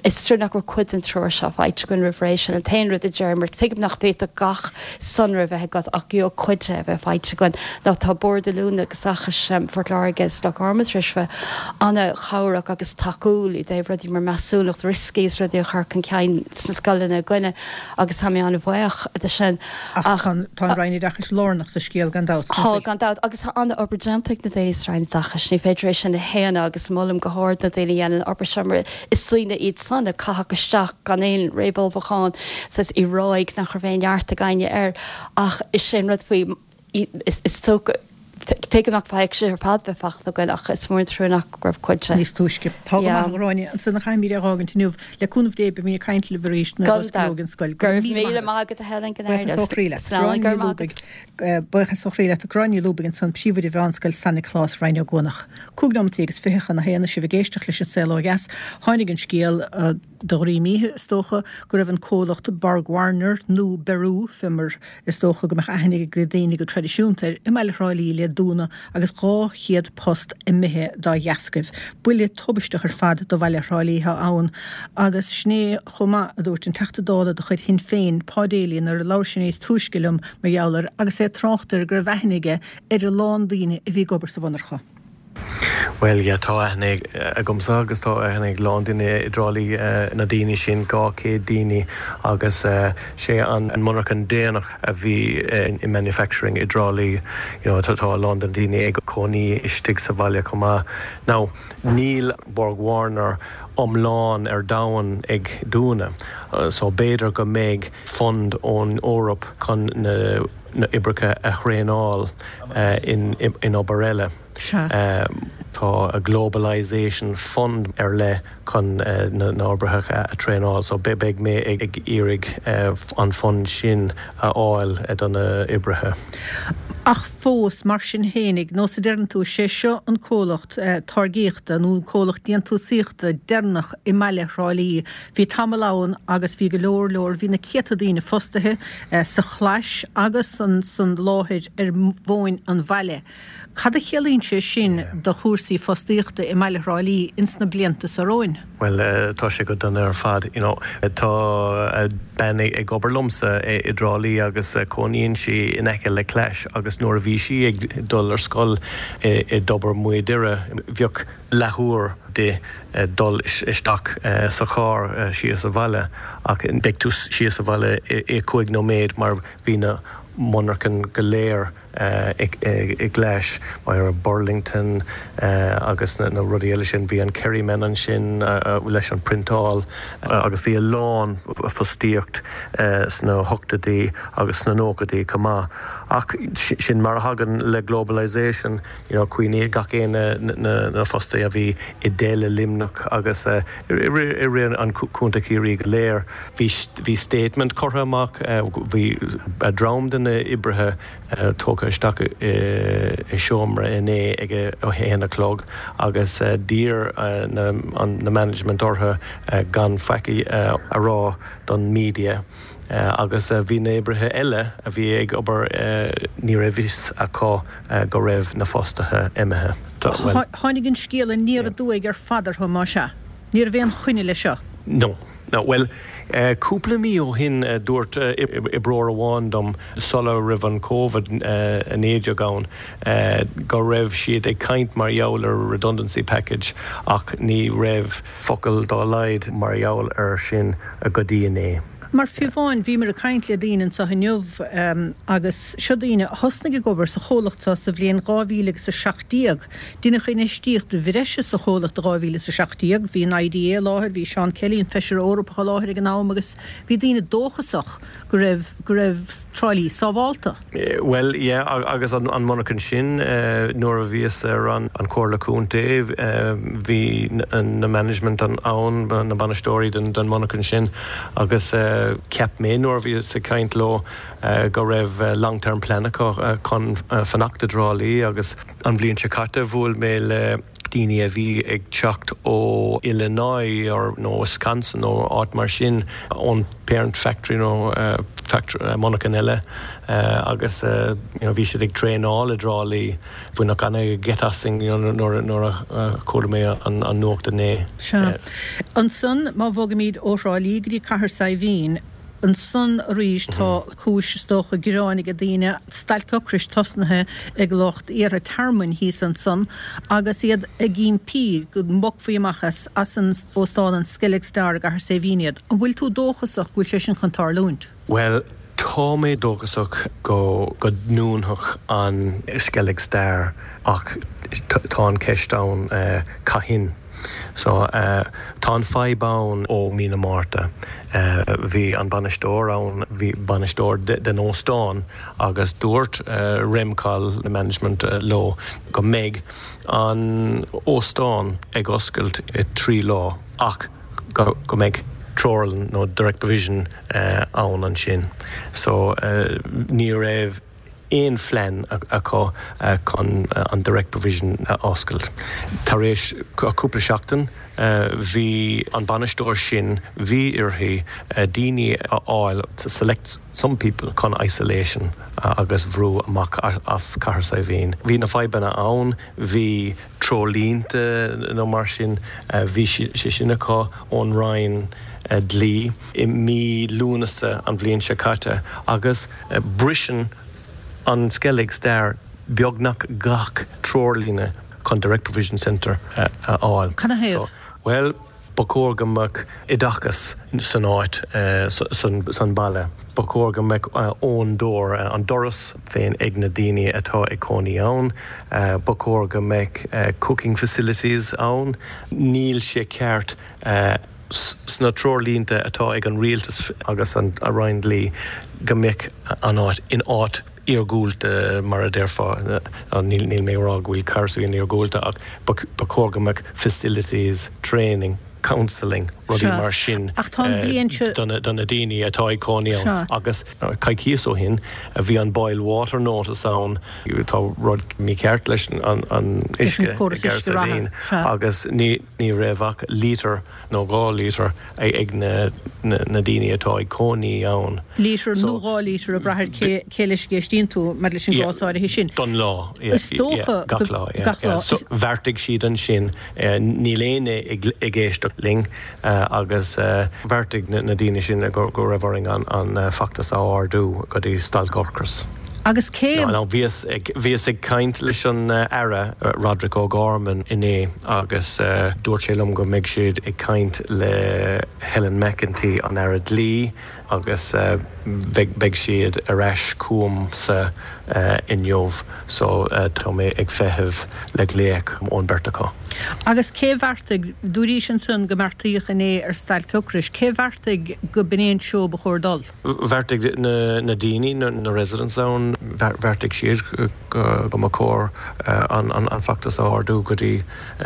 is trua nach raibh cuid den treoir seo faighte againn roimh ré. Sin an t-aon rud a deirim mar tuigim nach bhféadfadh gach sonra a bheith agat ach gheobhadh cuid de a bheith faighte againn. Nó tá Bord Oiliúna agus Oideachais Phort Láirge is Loch Garman tar éis bheith an-chabhrach agus tacúil i dtaobh rudaí mar measúnacht rioscaí is rudaí a chur chun cinn sna scoileanna againne agus tá mé an-bhuíoch de sin. Ach tá an Roinn Oideachais lárnach sa scéal gan dabht. Tá, gan dabht, agus tá an-obair déanta ag na daoine sa Roinn Oideachais, ní féidir é sin a shéanadh agus molaim go hard na daoine a dhéanann an obair seo mar is daoine iad san a caitheadh isteach gan aon réamhullmhúchán saghas i ráig nach raibh aon neart ag éinne air ach is é an rud faoi is dócha Tuigim nach bhfaighidh sé ar fad bheith fachta againn ach is mór an trua nach raibh cuid de. Níos túisce. Tá go maith, a Ghráinne. Ansan a chaithfimid é a fhágaint inniu. Le cúnamh Dé beimid ag caint libh arís nuair a osclóidh an scoil. Go raibh míle maith agat a Helen, go Buíochas ó chroí leat. Slán, go raibh maith agat. Buíochas ó chroí leat. Gráinne Ní Lúbaigh ansan, Príomhoide Mheánscoil San Nioclás, Rinn Ó gCuanach. Cúig nóimeataí agus fiche chun a haon is sibh ag éisteacht leis an Saol Ó Dheas. Tháinig an scéal de dhroim oíche, is dócha, go raibh an comhlacht Borg-Warner, nó Beru, fé mar is dócha go mbeadh aithne ag daoine go traidisiúnta air, i mbaile Thrá Lí le dúnadh agus dhá chéad post imithe dá dheascaibh. Buille tubaisteach ar fad do bhaile Thrá Lí atá ann agus sin é chomh maith a dúirt an Teachta Dála de chuid Shinn Féin, Pa Daly, nuair a labhair sé níos túisce liom mar gheall air agus é ag trácht air go raibh aithne aige ar a lán daoine a bhí ag obair sa mhonarcha. Bhuel, yeah, tá aithne agamsa agus tá aithne ag lán daoine i dTrá Lí na daoine sin, dhá chéad daoine agus sé an monarchan déanach a bhí i manufacturing i dTrá Lí. You know, tá a lán de na daoine ag cónaí istigh sa bhaile chomh maith. Now, níl Borg Warner iomlán ar domhan ag dúnadh, so b'fhéidir go mbeidh fund ón Eoraip chun na oibrithe a thraenáil in in obair eile. Sea. Tá a globalisation fund ar leith chun na n-oibrithe a thraenáil so beidh mé ag iarraidh an fund sin a fháil do na oibrithe. Ach fós, mar sin fhéinig, nós a deireann tú, sé seo an comhlacht táirgíochta nó an comhlacht déantúsaíochta deireanach i mbaile Thrá Lí. Bhí tamall ann agus bhí go leor leor, bhí na céadta daoine fostaithe sa chlais agus san láthair ar mhóin an bhaile. Cad a chiallaíonn sé sin do chúrsaí fostaíochta i mbaile Thrá Lí ins na blianta seo romhainn? Bhuel, tá sé go dona ar fad. You know, tá bean ag obair liomsa i dTrá Lí agus cónaíonn sí in aice le Clais agus nuair a bhí sí ag dul ar scoil i dTobar Maigh Doire, bheadh leathuair di dul isteach sa charr síos sa bhaile ach beidh tú síos sa bhaile i cúig nóiméad mar bhí na monarchan go léir i gClais, mar Burlington agus na rudaí eile sin. Bhí an Kerryman ansin leis an priontáil agus bhí a lán fostaíocht sna hochtóidí agus sna nóchaidí chomh maith. Ach sin mar a thagann le globalisation, you know, cuimhnigh gach aon na fostaithe a bhí i dTeile Luimneach agus i rith an Chontae Chiarraí go léir. Bhí statement curtha amach, bhí dream de na oibrithe tógtha isteach i seomra inné ag a haon a chlog agus d'iarr na management orthu gan faic a rá don media agus bhí na oibrithe eile a bhí ag obair ní raibh fhios acu go raibh na fostaithe imithe. Tháinig an scéal aniar aduaidh ar fad orthu, más ea. Ní raibh aon choinne leis seo. No. No, bhuel, cúpla mí ó shin dúirt oibreoir amháin dom sula raibh an Covid a naoi déag ann go raibh siad ag caint mar gheall ar redundancy package ach ní raibh focal dá laghad mar gheall ar sin go dtí inné. Mar fiú amháin, bhíomar ag caint le daoine anseo inniu agus seo daoine a thosnaigh ag obair sa chomhlacht seo sa bhliain dhá mhíle agus a seacht déag. Deineadh infheistíocht bhreise sa chomhlacht i dhá mhíle is a seacht déag. Bhí an IDA i láthair, bhí Seán Kelly, an Feisire Eorpach i láthair ag an am agus bhí daoine dóchasach go raibh go raibh Trá Lí sábhálta. Bhuel, yeah, agus an monarchan sin, nuair a bhíos ar an Chomhairle Contae, bhí na management ann, na bainisteoirí den monarchan sin agus cheap mé nuair a bhíos ag caint leo go raibh long term plan acu chun fanacht i dTrá Lí agus an bhliain seo caite bhuail mé le daoine a bhí ag teacht ó Illinois or nó Wisconsin nó áit mar sin ón parent factory nó factory monarchan eile agus you know bhí siad ag traenáil i dTrá Lí. Baineadh an-gheit asainn you know nuair nuair a chuala mé an an nuacht inné. Sea. Ansan má bhogaimid ó Thrá Lí go dtí Cathair Saidhbhín, ansan arís tá cúis is dócha gearáin ag daoine, stailc ocrais tosnaithe ag lucht iarrtha tearmainn thíos ansan agus iad ag impí go mbogfaí amach as as an óstán an Skellig Star i gCathair Saidhbhín iad. An bhfuil tú dóchasach go bhfuil sé sin chun tarlúint? Bhuel, tá mé dóchasach go go ndúnfadh an Skellig Star ach tá an ceist ann cathain. So tá an fadhb ann ó mí na Márta. Bhí an bainisteoir ann, bhí bainisteoir den óstán agus dúirt Remcol the management leo go mbeidh an óstán ag oscailt i trí lá ach go mbeidh treoirlíne nó direct provision ann ansin. So ní raibh aon phlean acu chun an direct provision a oscailt. Tar éis cúpla seachtain bhí an bainisteoir sin bhí uirthi daoine a fháil to select some people chun isolation agus bhrú amach as Cathair Saidhbhín. Bhí na fadhbanna ann, bhí treoirlínte nó mar sin bhí sé sin acu ón Roinn dlí i mí Lúnasa an bhliain seo caite agus briseann an Skellig Star beagnach gach treoirlíne chun Direct Provision Centre a fháil. Canathaobh? Well, ba chóir go mbeadh oideachas san áit san baile. Ba chóir go mbeadh own door an doras féin ag na daoine atá ag cónaí ann. Ba chóir go mbeadh cooking facilities ann. Níl sé ceart sna treoirlínte atá ag an rialtas agus an Roinn Dlí go mbeadh an áit in áit iargúlta mar a déarfá níl níl mé rá go bhfuil Cathair Saidhbhín iargúlta ach ba chóir go mbeadh facilities, training, counselling, rudaí mar sin do na daoine atá ag cónaí ann agus coicís ó shin a bhí an boil water notice ann tá rud mícheart leis an an uisce i agus ní ní raibh ach lítear nó dhá lítear ag na na daoine atá ag cónaí ann. Lítear nó dhá lítear ag brath cé cé leis a éistíonn tú mar leis an gcás áirithe sin. Don lá Is dócha gach lá gach lá. So bheartaigh siad ansin níl éinne ag éisteacht linn agus bheartaigh na daoine sin go go raibh orainn an an feachtas a ardú go dtí stailc ocrais. Agus cé No, bhíos ag bhíos ag caint leis an Aire Roderick O'Gorman inné agus dúirt sé liom go mbeidh siad ag caint le Helen McEntee an Aire Dlí agus beidh beidh siad ar ais chugamsa inniu so tá mé ag feitheamh le glaoch ón beirt acu. Agus cé bheartaigh dúraís ansan go mbeartaíodh inné ar stailc ocrais, cé bheartaigh go b'in é an treo ba chóir dul? Bheartaigh na na daoine na na residents ann bheartaigh siad go mba chóir an an feachtas a ardú go dtí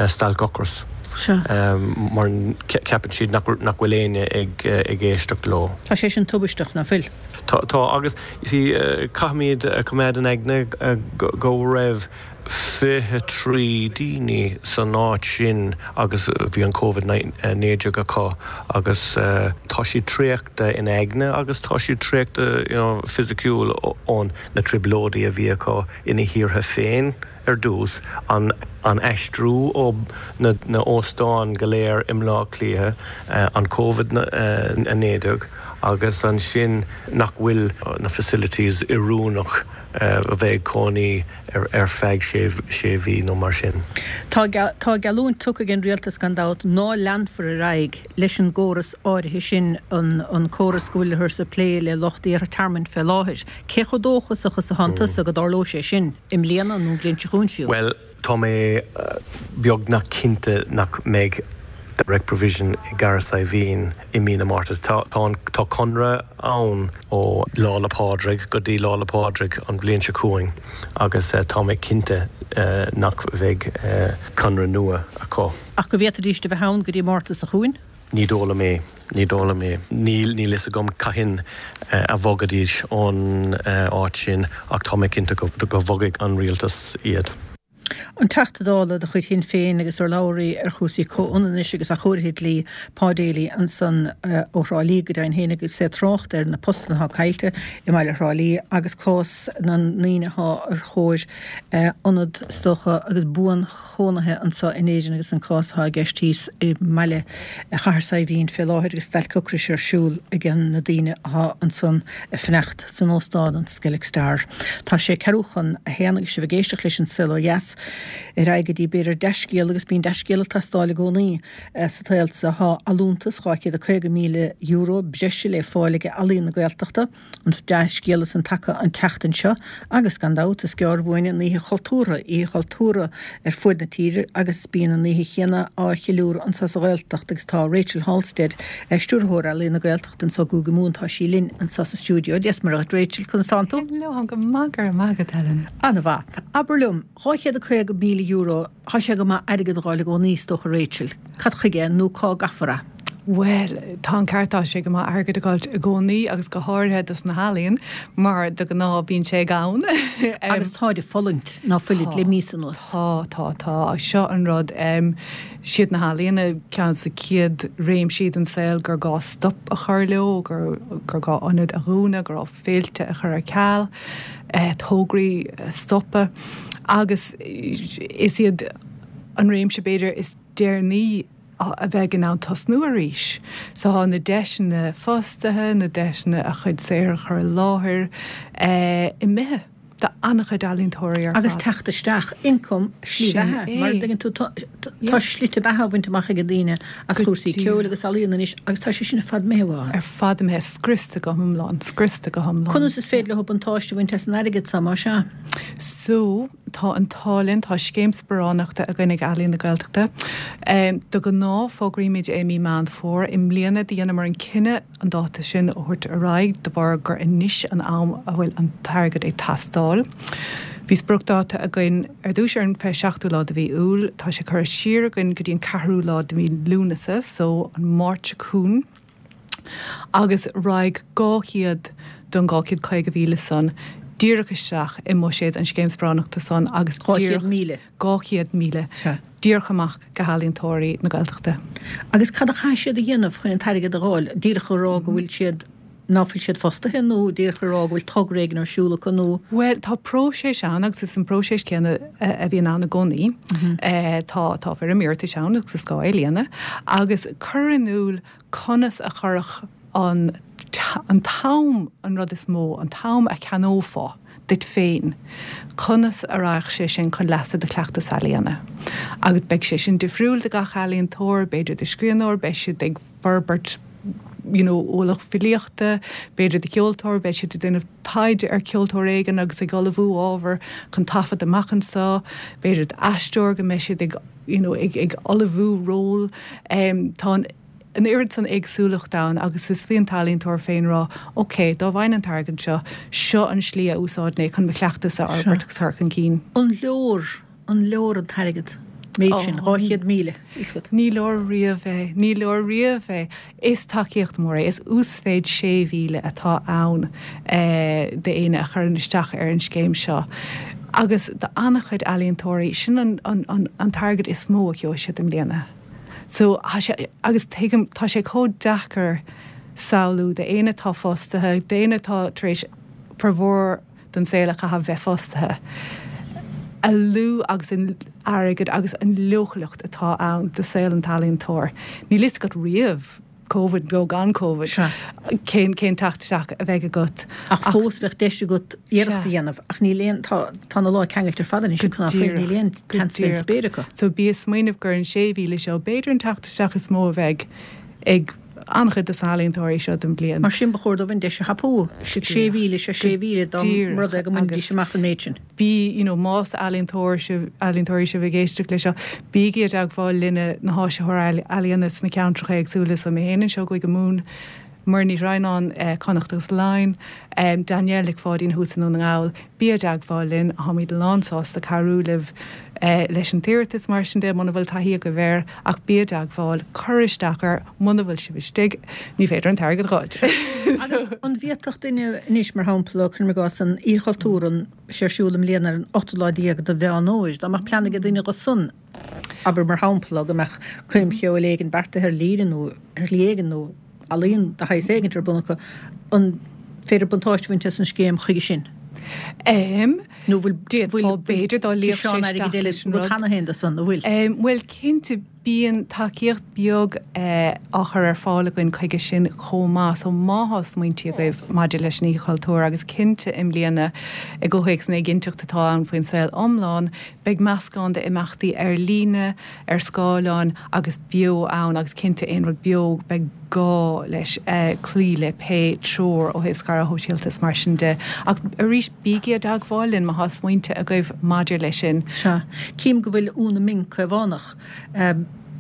stailc ocrais. Mar ceapann siad nach nach bhfuil éinne ag ag éisteacht leo. Tá sé sin tubaisteach nach bhfuil? Tá tá agus see caithfimid coimeád in aigne go raibh fiche trí daoine san áit sin agus bhí an Covid naoi déag acu agus tá siad traochta in aigne agus tá siad traochta you know fisiciúil ón na trioblóidí a bhí acu ina thíortha féin ar dtús, an an aistriú ó na na óstáin go léir i mBleá Cliath, an Covid a naoi déag agus ansin nach bhfuil na facilities oiriúnach a bheith ag cónaí ar ar feadh sé sé mhí nó mar sin. Tá tá geallúint tugtha ag an rialtas gan dabht ná leanfar ar aghaidh leis an gcóras áirithe sin, an an córas go bhfuilthear ag plé le lucht iarrtha tearmainn fé láthair. Cé chomh dóchasach is atánn tusa go dtarlóidh sé sin i mbliana nó an bhliain seo chugainn fiú? Bhuel, tá mé beagnach cinnte nach mbeidh direct provision i gCathair Saidhbhín i mí na Márta. Tá tá conradh ann ó Lá 'le Pádraig go dtí Lá 'le Pádraig an bhliain seo chugainn agus tá mé cinnte nach bheidh conradh nua acu. Ach go bhféadfaidís a bheith ann go dtí Márta seo chugainn? Ní dóigh liom é. Ní dóigh liom é. Níl níl fhios agam cathain a bhogfaidís ón áit sin ach tá mé cinnte go go bhogfaidh an rialtas iad. An Teachta Dála de chuid Shinn Féin agus urlabhraí ar chúrsaí comhionannais agus athchóirithe dlí, Pa Daly, ansan ó Thrá Lí go deimhin féin agus é ag trácht ar na postanna atá caillte i mbaile Thrá Lí agus cás na ndaoine atá ar thóir ionad is dócha agus buanchónaithe anseo in Éirinn agus an cás atá i gceist thíos i mbaile Chathair Saidhbhín fé láthair agus stailc ocrais ar siúl ag na daoine atá ansan ag fanacht san óstán an Skellig Star. Tá sé ceathrú chun a haon agus sibh ag éisteacht leis an Saol Ó Dheas. Ar aghaidh go dtí b'fhéidir dea-scéal agus bíonn dea-scéal ag teastáil i gcónaí sa tsaol seo. Tá allúntas dhá chéad a caoga míle euro breise le fáil ag Ealaín na Gaeltachta. An dea-scéala san tagtha an tseachtain seo agus gan dabht is gearr uainn an Oíche Chultúrtha, Oíche Chultúrtha ar fuaid na tíre agus bíonn an oíche chéanna á cheiliúradh anseo sa Ghaeltacht agus tá Rachel Halstead, Stiúrthóir Ealaín na Gaeltachta anseo i gCúige Mumhan, tá sí linn anseo sa stiúideo. Dia is Muire dhuit Rachel, conas tánn tú? Hello, táim go maith, go raibh maith agat Helen. An-mhaith. Abair liom, dhá chéad a caoga míle euro, tá sé go maith airgead a dh'fháil i gcónaí is dócha Rachel. Cad chuige nó cá gcaithfear é? Bhuel, tá an ceart, tá sé go maith airgead a dh'fháilt i gcónaí agus go háirithe dos na healaíon mar de ghnáth bíonn sé gann. Agus táid ag fulaingt, ná fuilid, le míosa anuas. Tá, tá, tá. Seo an rud. Siad na healaíona ceann de na chéad réimsí den saol gur gá stop a chur leo, gur gá ionaid a dhúnadh, gur gá féilte a chur ar ceal, tograí a stopadh agus is iad an réimse b'fhéidir is deireanaí a bheidh in ann tosnú arís. So tá na deiseanna fostaithe, na deiseanna a chuid saothair a chur i láthair imithe do an-chuid ealaíontóirí ar fad. Agus teacht isteach, income, slí bheatha, mar a dtuigeann tú, tá slite beatha á bhaint amach ag daoine as cúrsaí ceoil agus ealaíon anois agus tá sé sin ar fad imithe uathu. Ar fad imithe, scriosta go hiomlán, scriosta go hiomlán. Conas is féidir leo buntáiste a bhaint as an airgead seo, más ea? So, tá an t-ádh linn, tá scéim sparánachta againn ag Ealaín na Gaeltachta. De ghnáth fógraímid é i mí Meán Fómhair. I mbliana dheineamar an cinneadh an dáta sin a thabhairt ar aghaidh de bharr gur anois an am a bhfuil an t-airgead ag teastáil. Bhí spriocdháta againn ar dtús ar an fiche seachtú lá de mhí Iúil, tá sé curtha siar againn go dtí an ceathrú lá de mhí Lúnasa, so an Máirt seo chugainn, agus raghaidh dhá chéad den dhá chéad caoga mhíle san díreach isteach i mbuiséad an Scéim Sparánachta san agus Dhá chéad míle. dhá chéad míle. Sea. Díreach amach go healaíontóirí na Gaeltachta. Agus cad a chaithfidh siad a dhéanamh chun an t-airgead a dh'fháil? Díreach a rá go bhfuil siad, ná fuil siad fostaithe nó díreach a rá go bhfuil togra éigin ar siúl acu nó? Bhuel, tá próiseas ann agus is an próiseas céanna a bhíonn ann i gcónaí. Tá, tá foirm iarratais ann agus is gá é a líonadh agus cur in iúl conas a chuirfeadh an, an t-am an rud is mó, an t-am a cheannófá duit féin, conas a raghadh sé sin chun leasa do chleachtas ealaíona. Agus beidh sé sin difriúil do gach ealaíontóir, b'fhéidir do scríbhneoir, beidh siad ag forbairt you know ualach filíochta, b'fhéidir do cheoltóir, beidh siad ag déanamh taighde ar cheoltóir éigin agus ag ullmhú ábhar chun taifead amach anseo, b'fhéidir d'aisteoir go mbeidh siad ag you know ag ag ullmhú ról. Tá an. an oiread san éagsúlacht ann agus is faoin t-ealaíontóir féin rá, ok, dá bhfaighinn an t-airgead seo, seo an slí a úsáidfinn é chun mo chleachtas a fhorbairt agus a chur chun cinn. An leor, an leor an t-airgead, méid sin, dhá chéad míle, fhios agat? Ní leor riamh é, ní leor riamh é. Is tacaíocht mhór é, is uasmhéid sé mhíle atá ann d'éinne a chuireann isteach ar an scéim seo agus do an-chuid ealaíontóirí, sin an an t-airgead is mó a gheobhaidh siad i mbliana. So, tá sé, agus tuigim, tá sé chomh deacair samhlú d'éinne atá fostaithe, d'éinne atá tar éis formhór den saol a chaitheamh bheith fostaithe, a lú agus an airgead agus an leochaileacht atá ann do saol an t-ealaíontóir. Níl fhios agat riamh. Covid nó gan Covid, cén cén teacht isteach a bheidh agat. Ach fós bheadh deis agat iarracht a dhéanamh ach níl aon, tá tá na lámha ceangailte ar fad anois ag ná fuil, níl aon tseans fén spéir acu. So bí ag smaoineamh gur an sé mhíle seo b'fhéidir an teacht isteach is mó a bheidh ag an-chuid de na healaíontóirí seo don bhliain. Mar sin ba chóir dóibh an deis a thapú. Sé mhíle, sé sé mhíle dá mba rud é go mbainfidís amach an méid sin. Bí, you know, más ealaíontóir sibh, ealaíontóirí sibh ag éisteacht le seo, bígí i dteagmháil linne, na háisitheoirí ealaíona sna ceantracha éagsúla, so mé féin anseo i gCúige Mumhan, Muireann Ní Dhroighneáin, Connacht agus Laighin, Danielle Nic Pháidín thuas i nDún na nGall, bí i dteagmháil linn, táimid lánsásta cabhrú libh leis an t-iarratas, mar sin de, muna bhfuil taithí agaibh air, ach bí i dteagmháil, cuir isteach air, muna bhfuil sibh istigh, ní féidir an t-airgead a dh'fháilt. Agus an bhféadfadh duine anois, mar shampla, cuirim i gcás, an Oíche Chultúir, an. sé ar siúl i mbliana ar an ochtú lá déag de Mheán Fhómhair. Dá mbeadh plean ag duine dho san, abair mar shampla, go mbeadh coirm cheoil éigin beartaithe ar líne nó ar shlí éigin nó ealaíon de shaghas éigin ar bun acu, an féidir buntáiste a bhaint as an scéim chuige sin? Em, Nó bhfuil, d'fhéadfá, bhfuil b'fhéidir dá luífeadh sé ciseán isteach airgid eile leis an agat rud. cheana féin do san, an bhfuil? Em, bhuel, cinnte, Bíonn tacaíocht beag á chur ar fáil againn chuige sin chomh maith, so má thá smaointí agaibh maidir leis an Oíche Chultúir, agus cinnte i mbliana i gcomhthéacs na éiginnteacht atá ann faoin saol iomlán, beidh meascán de imeachtaí ar líne, ar scáileán agus beo ann agus cinnte aon rud beo beidh gá leis cloí le pé treoir ó thaobh scaradh shóisialta is mar sin de. Ach arís bígí i dteagmháil linn má thá smaointe agaibh maidir leis sin. Sea. Cím go bhfuil Úna Ming Caomhánach.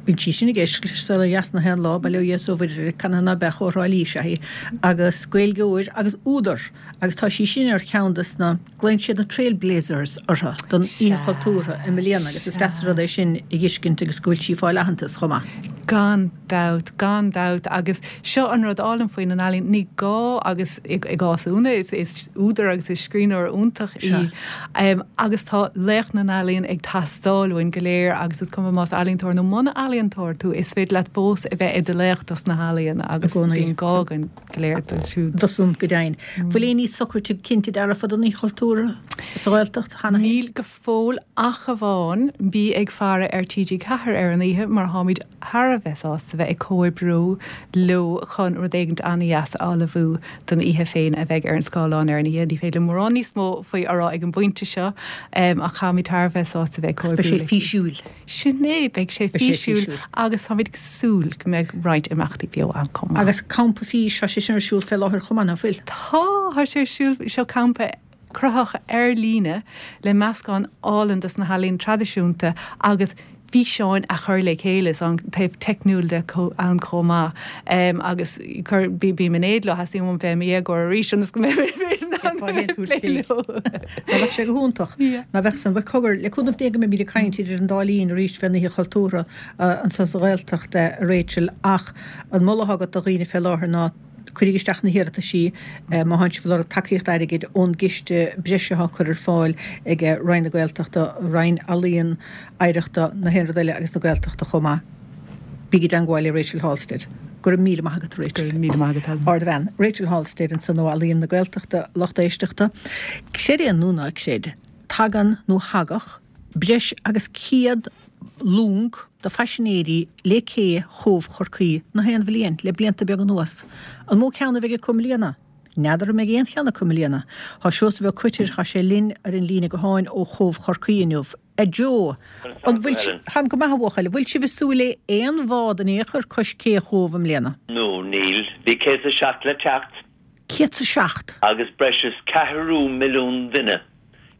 Bíonn sí sin ag éisteacht leis Saol Ó Dheas na haon lá, bail ó Dhia is ó Mhuire uirthi, canathaobh ná beadh ó Thrá Lí is ea í, agus Gaeilgeoir agus údar, agus tá sí sin ar cheann de na, glaonn siad na Trailblazers orthu don Oíche Chultúrtha i mbliana agus is deas an rud é sin a dh'fheiscint agus go bhfuil sí ag fáil aitheantas chomh maith. Gan dabht, gan dabht, agus seo an rud álainn faoi na n-ealaíon, ní gá, agus i gcás Úna, is údar agus is scríbhneoir iontach í, agus tá laoch na n-ealaíon ag teastáil uainn go léir agus is cuma más ealaíontóir nó muna ealaíontóir tú, is féidir leat fós a bheith i do laoch dos na healaíona agus bíonn gá againn go léir dóibh siúd. Dó san go deimhin. Bhfuil aon ní socraithe cinnte dearfa don Oíche Chultúrtha sa Ghaeltacht cheana féin? Níl go fóill ach amháin bí ag faire ar T G ceathair ar an oíche mar táimid thar a bheith sásta bheith ag comhoibriú leo chun rud éigint an-dheas a ullmhú don oíche féin a bheidh ar an scáileán ar an oíche. Ní féidir liom mórán níos mó faoi a rá ag an bpointe seo ach táimid thar a bheith sásta bheith ag comhoibriú Beidh sé físiúil. Sin é, beidh sé físiúil agus táimid ag súil go mbeidh roinnt imeachtaí beo ann chomh maith. Agus Campa Fís, tá sé sin ar siúl fé láthair chomh maith, ná fuil? Tá, tá sé ar siúl, seo campa cruthaitheach ar líne le meascán álainn dos na healaíona traidisiúnta agus físeáin a chur le chéile, is an taobh teicniúil de ann chomh maith agus cuir, bím in éad leo, theastaíonn uaim bheith i mo dhéagóir arís ionas go mbeidh mé in ann plé leo. Dá mbeadh sé go hiontach. Ná bheadh san. Bhuel, cogar, le cúnamh Dé go mbeimid ag caint idir an dá linn arís fén Oíche Chultúrtha anseo sa Ghaeltacht, a Rachel, ach an moladh atá agat do dhaoine fé láthair ná cuiríg isteach na hiarrataisí má thánn sibh ag lorg tacaíocht airgid ón gciste breise atá curtha ar fáil ag Roinn na Gaeltachta, Roinn Ealaíon, Oidhreachta, na haon rud eile agus na Gaeltachta chomh maith. Bígí i dteangmháil le Rachel Halstead. Go raibh míle maith agat, a Rachel. Go raibh míle maith agat, Helen. Ardbhean. Rachel Halstead ansan ó Ealaíon na Gaeltachta, lucht éisteachta. Creid é nó ná creid, tagann nó thagadh breis agus céad long de phaisinéirí le cé Chóbh Chorcaí na haon bhliain le blianta beaga anuas. An mó ceann a bheidh acu i mbliana? N'fheadar an mbeidh aon cheann acu i mbliana. Tá Seosamh Ó Coitir, tá sé linn ar an líne gutháin ó Chóbh Chorcaí inniu. A Joe, an bhfuil sibh, Táim go maith a bhuachaill, an bhfuil sibh ag súil le aon bhád in aon chor cois cé Chóbh i mbliana? No, níl. Bhí céad is a seacht le teacht. Céad is a seacht? Agus breis is ceathrú milliún duine,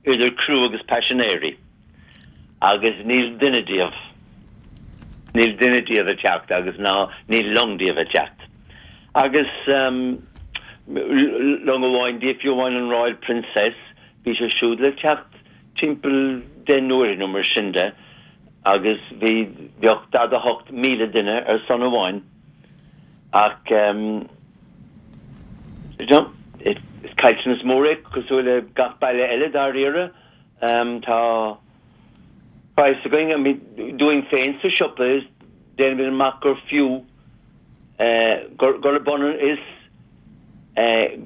idir criú agus paisinéirí. Agus níl duine díobh, níl duine díobh ag teacht agus ná níl long díobh ag teacht. Agus long amháin díobh, fiú amháin an Royal Princess, bhí sé siúd le teacht timpeall deich n-uaire nó mar sin de agus bhí, bheadh daichead a hocht míle duine ar san amháin ach you know, is caillteanas mór é cosúil le gach baile eile dáiríre. Tá praghas againn, I mean, dúinn féin sa siopa is déanaimid amach gur fiú gur, gurb ionann is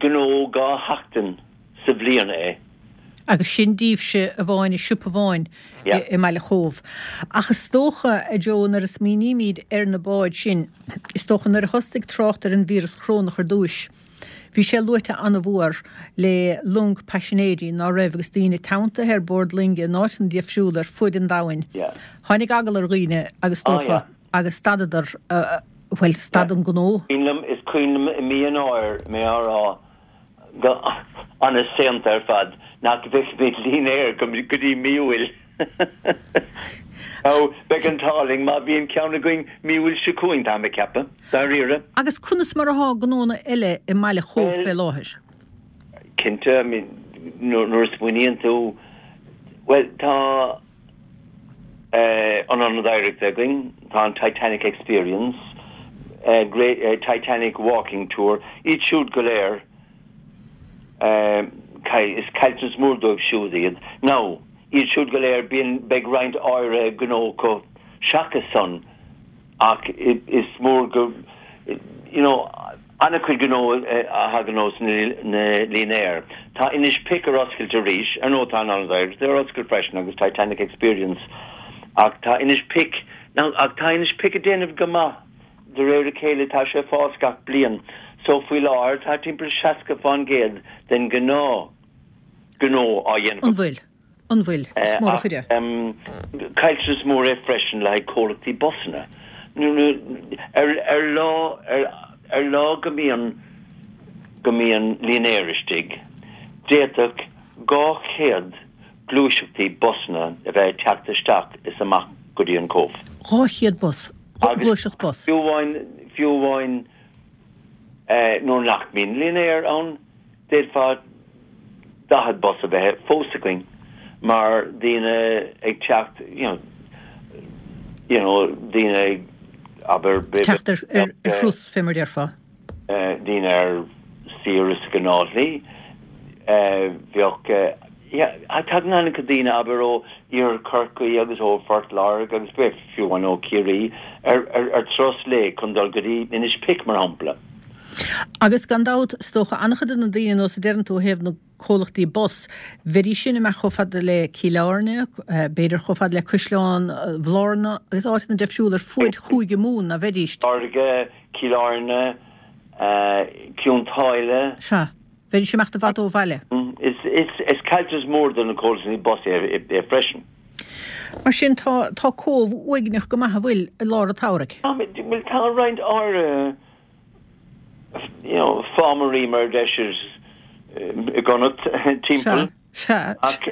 gnó dhá sheachtain sa bhliain é. Agus sin díbhse amháin i siopa amháin i mbaile Chóbh. Ach is dócha, a Joe, nuair a smaoinímid ar na báid sin, is dócha nuair a thosaigh trácht ar an víreas chorónach ar dtúis, bhí sé luaite an-mhór le long paisinéirí ná raibh agus daoine teanntaithe ar bord loinge in áiteanna difriúla ar fuaid an domhain. Tháinig eagal ar dhaoine agus is dócha agus stadadar, bhuel, stad an gnó. Is cuimhin liom i mí Eanáir mé á rá go an-saonta ar fad nach bhfeicfimid línéar go dtí mí Iúil. Nó beidh an t-ádh linn má bhíonn ceann againn mí Iúil seo chugainn, táim ag ceapadh, dáiríre. Agus conas mar athá gnónna eile i mbaile Chóbh fé láthair? Cinnte, I mean, nuair a smaoiníonn tú, bhuel, tá an Ionad Oidhreachta againn, tá an Titanic Experience, Great Titanic Walking Tour, iad siúd go léir, is caillteanas mór dóibh siúd iad. Now, iad siúd go léir, bíonn, beidh roinnt áirithe gnó acu seachas san ach is mór go, you know, An-chuid gnó a thagann ós na línéir. Tá Inis Pic ar oscailt arís, ar ndóigh tá an Ionad Oidhreachta ar oscailt freisin agus Titanic Experience ach tá Inis Pic Now, ach tá Inis Pic ag déanamh go maith de réir a chéile, tá sé ag fás gach bliain. So faoi láthair tá timpeall seasca fán gcéad den gnáth gnó á dhéanamh. An bhfuil? An bhfuil? Is mór an chuireadh. Caillteanas mór é freisin le haghaidh comhlachtaí busanna. Ar ar lá ar ar lá go mbíonn go mbíonn línéar istigh, d'fhéadfadh dhá chéad gluaiseachtaí busanna a bheith ag teacht isteach is amach go dtí an Cóbh. Dhá chéad bus, gluaiseacht bus. Fiú amháin, fiú amháin nuair nach mbíonn línéar ann, d'fhéadfá daichead bus a bheith fós againn mar daoine ag teacht, you know, you know, daoine ag, abair, Teacht ar thuras, fé mar a déarfá. daoine ar saoire sa ghnáthshlí. Bheadh, yeah, tagann an-chuid daoine, abair, ó Iarthar Chorcaí agus ó Phort Láirge agus fiú amháin ó Chiarraí ar, ar, ar turas lae chun dul go dtí Inis Pic, mar shampla. Agus gan dabht, is dócha, an-chuid de na daoine, nós a deireann tú, ó thaobh na comhlachtaí bus, bheidís sin amach chomh fada le Cill Airne, b'fhéidir chomh fada le Caisleán Bhlárna agus áiteanna difriúla ar fuaid Chúige Mumhan, ná bheidís? Láirge, Cill Airne, Cionn tSáile. Sea. Bheidís ag imeacht i bhfad ó bhaile. Is caillteanas mór do na comhlachtaí bus é freisin. Mar sin, tá tá Cóbh uaigneach go maith, an bhfuil, i lár an tsamhraidh? Bhuel, tá roinnt áirithe you know fámairí mar a deir siad i gConnacht timpeall. Sea, sea.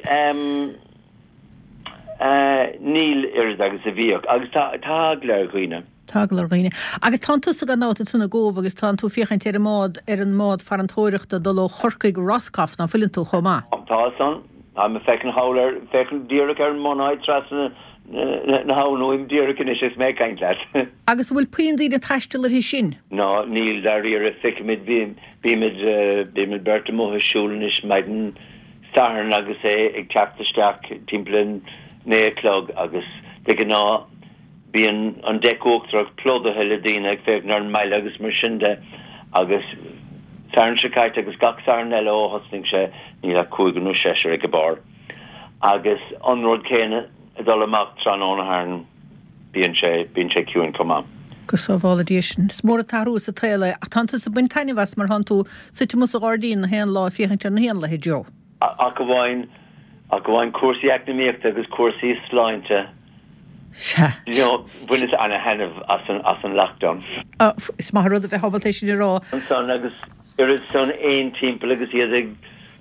Ach níl oiread agus a bhíodh agus tá eagla ar dhaoine. Tá eagla ar dhaoine. Agus tánn tusa gan dabht ansan i gCóbh agus tánn tú féachaint ar an mbád, ar an mbád farantóireachta dul ó Chorcaigh go Roscoff, ná fuileann tú, chomh maith? Tá san. Táim ag féachaint thall ar, féachaint díreach ar an mBunáit trasna na habhann uaim díreach anois agus mé ag caint leat. Agus an bhfuil puinn daoine ag taisteal uirthi sin? Ná níl, dáiríre. Feicimid, bímid, bímid beirt amuigh ag siúl anois maidin Sathairn agus é ag teacht isteach timpeall a naoi a chlog agus de ghnáth bíonn an deic uachtarach plódaithe le daoine ag féachaint ar an mbaile agus mar sin de agus Satharn seo caite agus gach Satharn eile ó thosnaigh sé níl ach cúigear nó seisear ag an barr. Agus an rud céanna ag dul amach tráthnóna Shathairn bíonn sé bíonn sé ciúin chomh maith. Go sábhála Dia sinn. Is mór an t-athrú sa tsaol é ach tánn tusa ag baint taitneamh as mar thánn tú suite amuigh sa ghairdín na haon lá ag féachaint ar na héanlaithe, Joe. Ach amháin, ach amháin cúrsaí eacnamaíochta agus cúrsaí sláinte. Sea. You know, bhaineas ana-thaitneamh as an, as an lockdown. Is maith an rud a bheith ábalta é sin a rá. Ansan agus oiread san éin timpeall agus iad ag,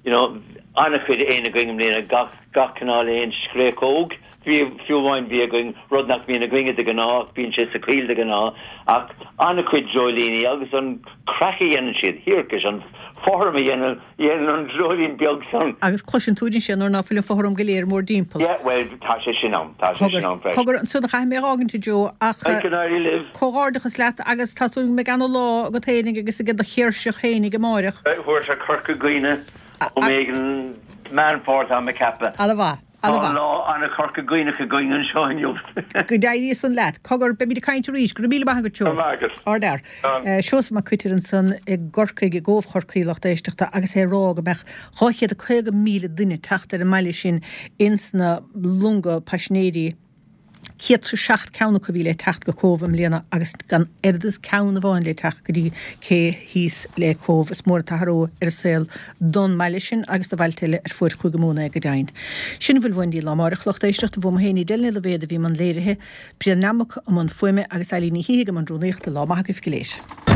you know, an-chuid éin againn i mbliana, gach, gach cineál éin, scréachóg, bhí, fiú amháin bhí againn, rud nach mbíonn againne de ghnáth ach bíonn sé sa choill de ghnáth, ach an-chuid dreoilíní agus an craic a dhéanann siad, thiarcais, an fothram a dhéanann, dhéanann an dreoilín beag san. Agus cloiseann tú ansin nuair ná fuil an fothram go léir mórthimpeall. Yeah, bhuel, tá sé sin ann, tá sé sin ann freisin. Cogar, ansan a chaithfidh mé a dh'fhágaint, a Joe, ach Go n-éirí libh. comhghairdeachas leat agus tá súil go mbeidh ana-lá agat fhéinig agus ag do chéirseach fhéinig amáireach. Thabharfadh sé Corca Dhuibhne am éigin Meán Fómhair tá mé ag ceapadh. Ana-mhaith. Tá lá ana-Chorca Dhuibhneach againn anseo inniu. Go n-éirí san leat. Cogar, beimid ag caint arís. Go raibh míle maith agat, Joe. Go raibh maith agat. Ardfhear. Seosamh Mac Coitir ansan i gCorcaigh, i gCóbh Chorcaí, lucht éisteachta, agus é ag rá go mbeadh dhá chéad a caoga míle duine ag teacht ar an mbaile sin ins na longa paisinéirí. Céad 's a seacht ceann acu a bhí le teacht go Cóbh i mbliana agus gan oiread is ceann amháin le teacht go dtí cé thíos le Cóbh. Is mór an t-athrú ar an saol don mbaile sin agus do bhailte eile ar fuaid Chúige Mumhan é go deimhin. Sin a bhfuil uainn daoibh lá amáireach, lucht éisteachta. Bhuam féin Edel Ní Loibhéad a bhí i mbun léirithe, Brian Nammock i mbun fuaime agus Eilín Ní Shíthigh i mbun rúnaíochta. Lá maith agaibh go léir.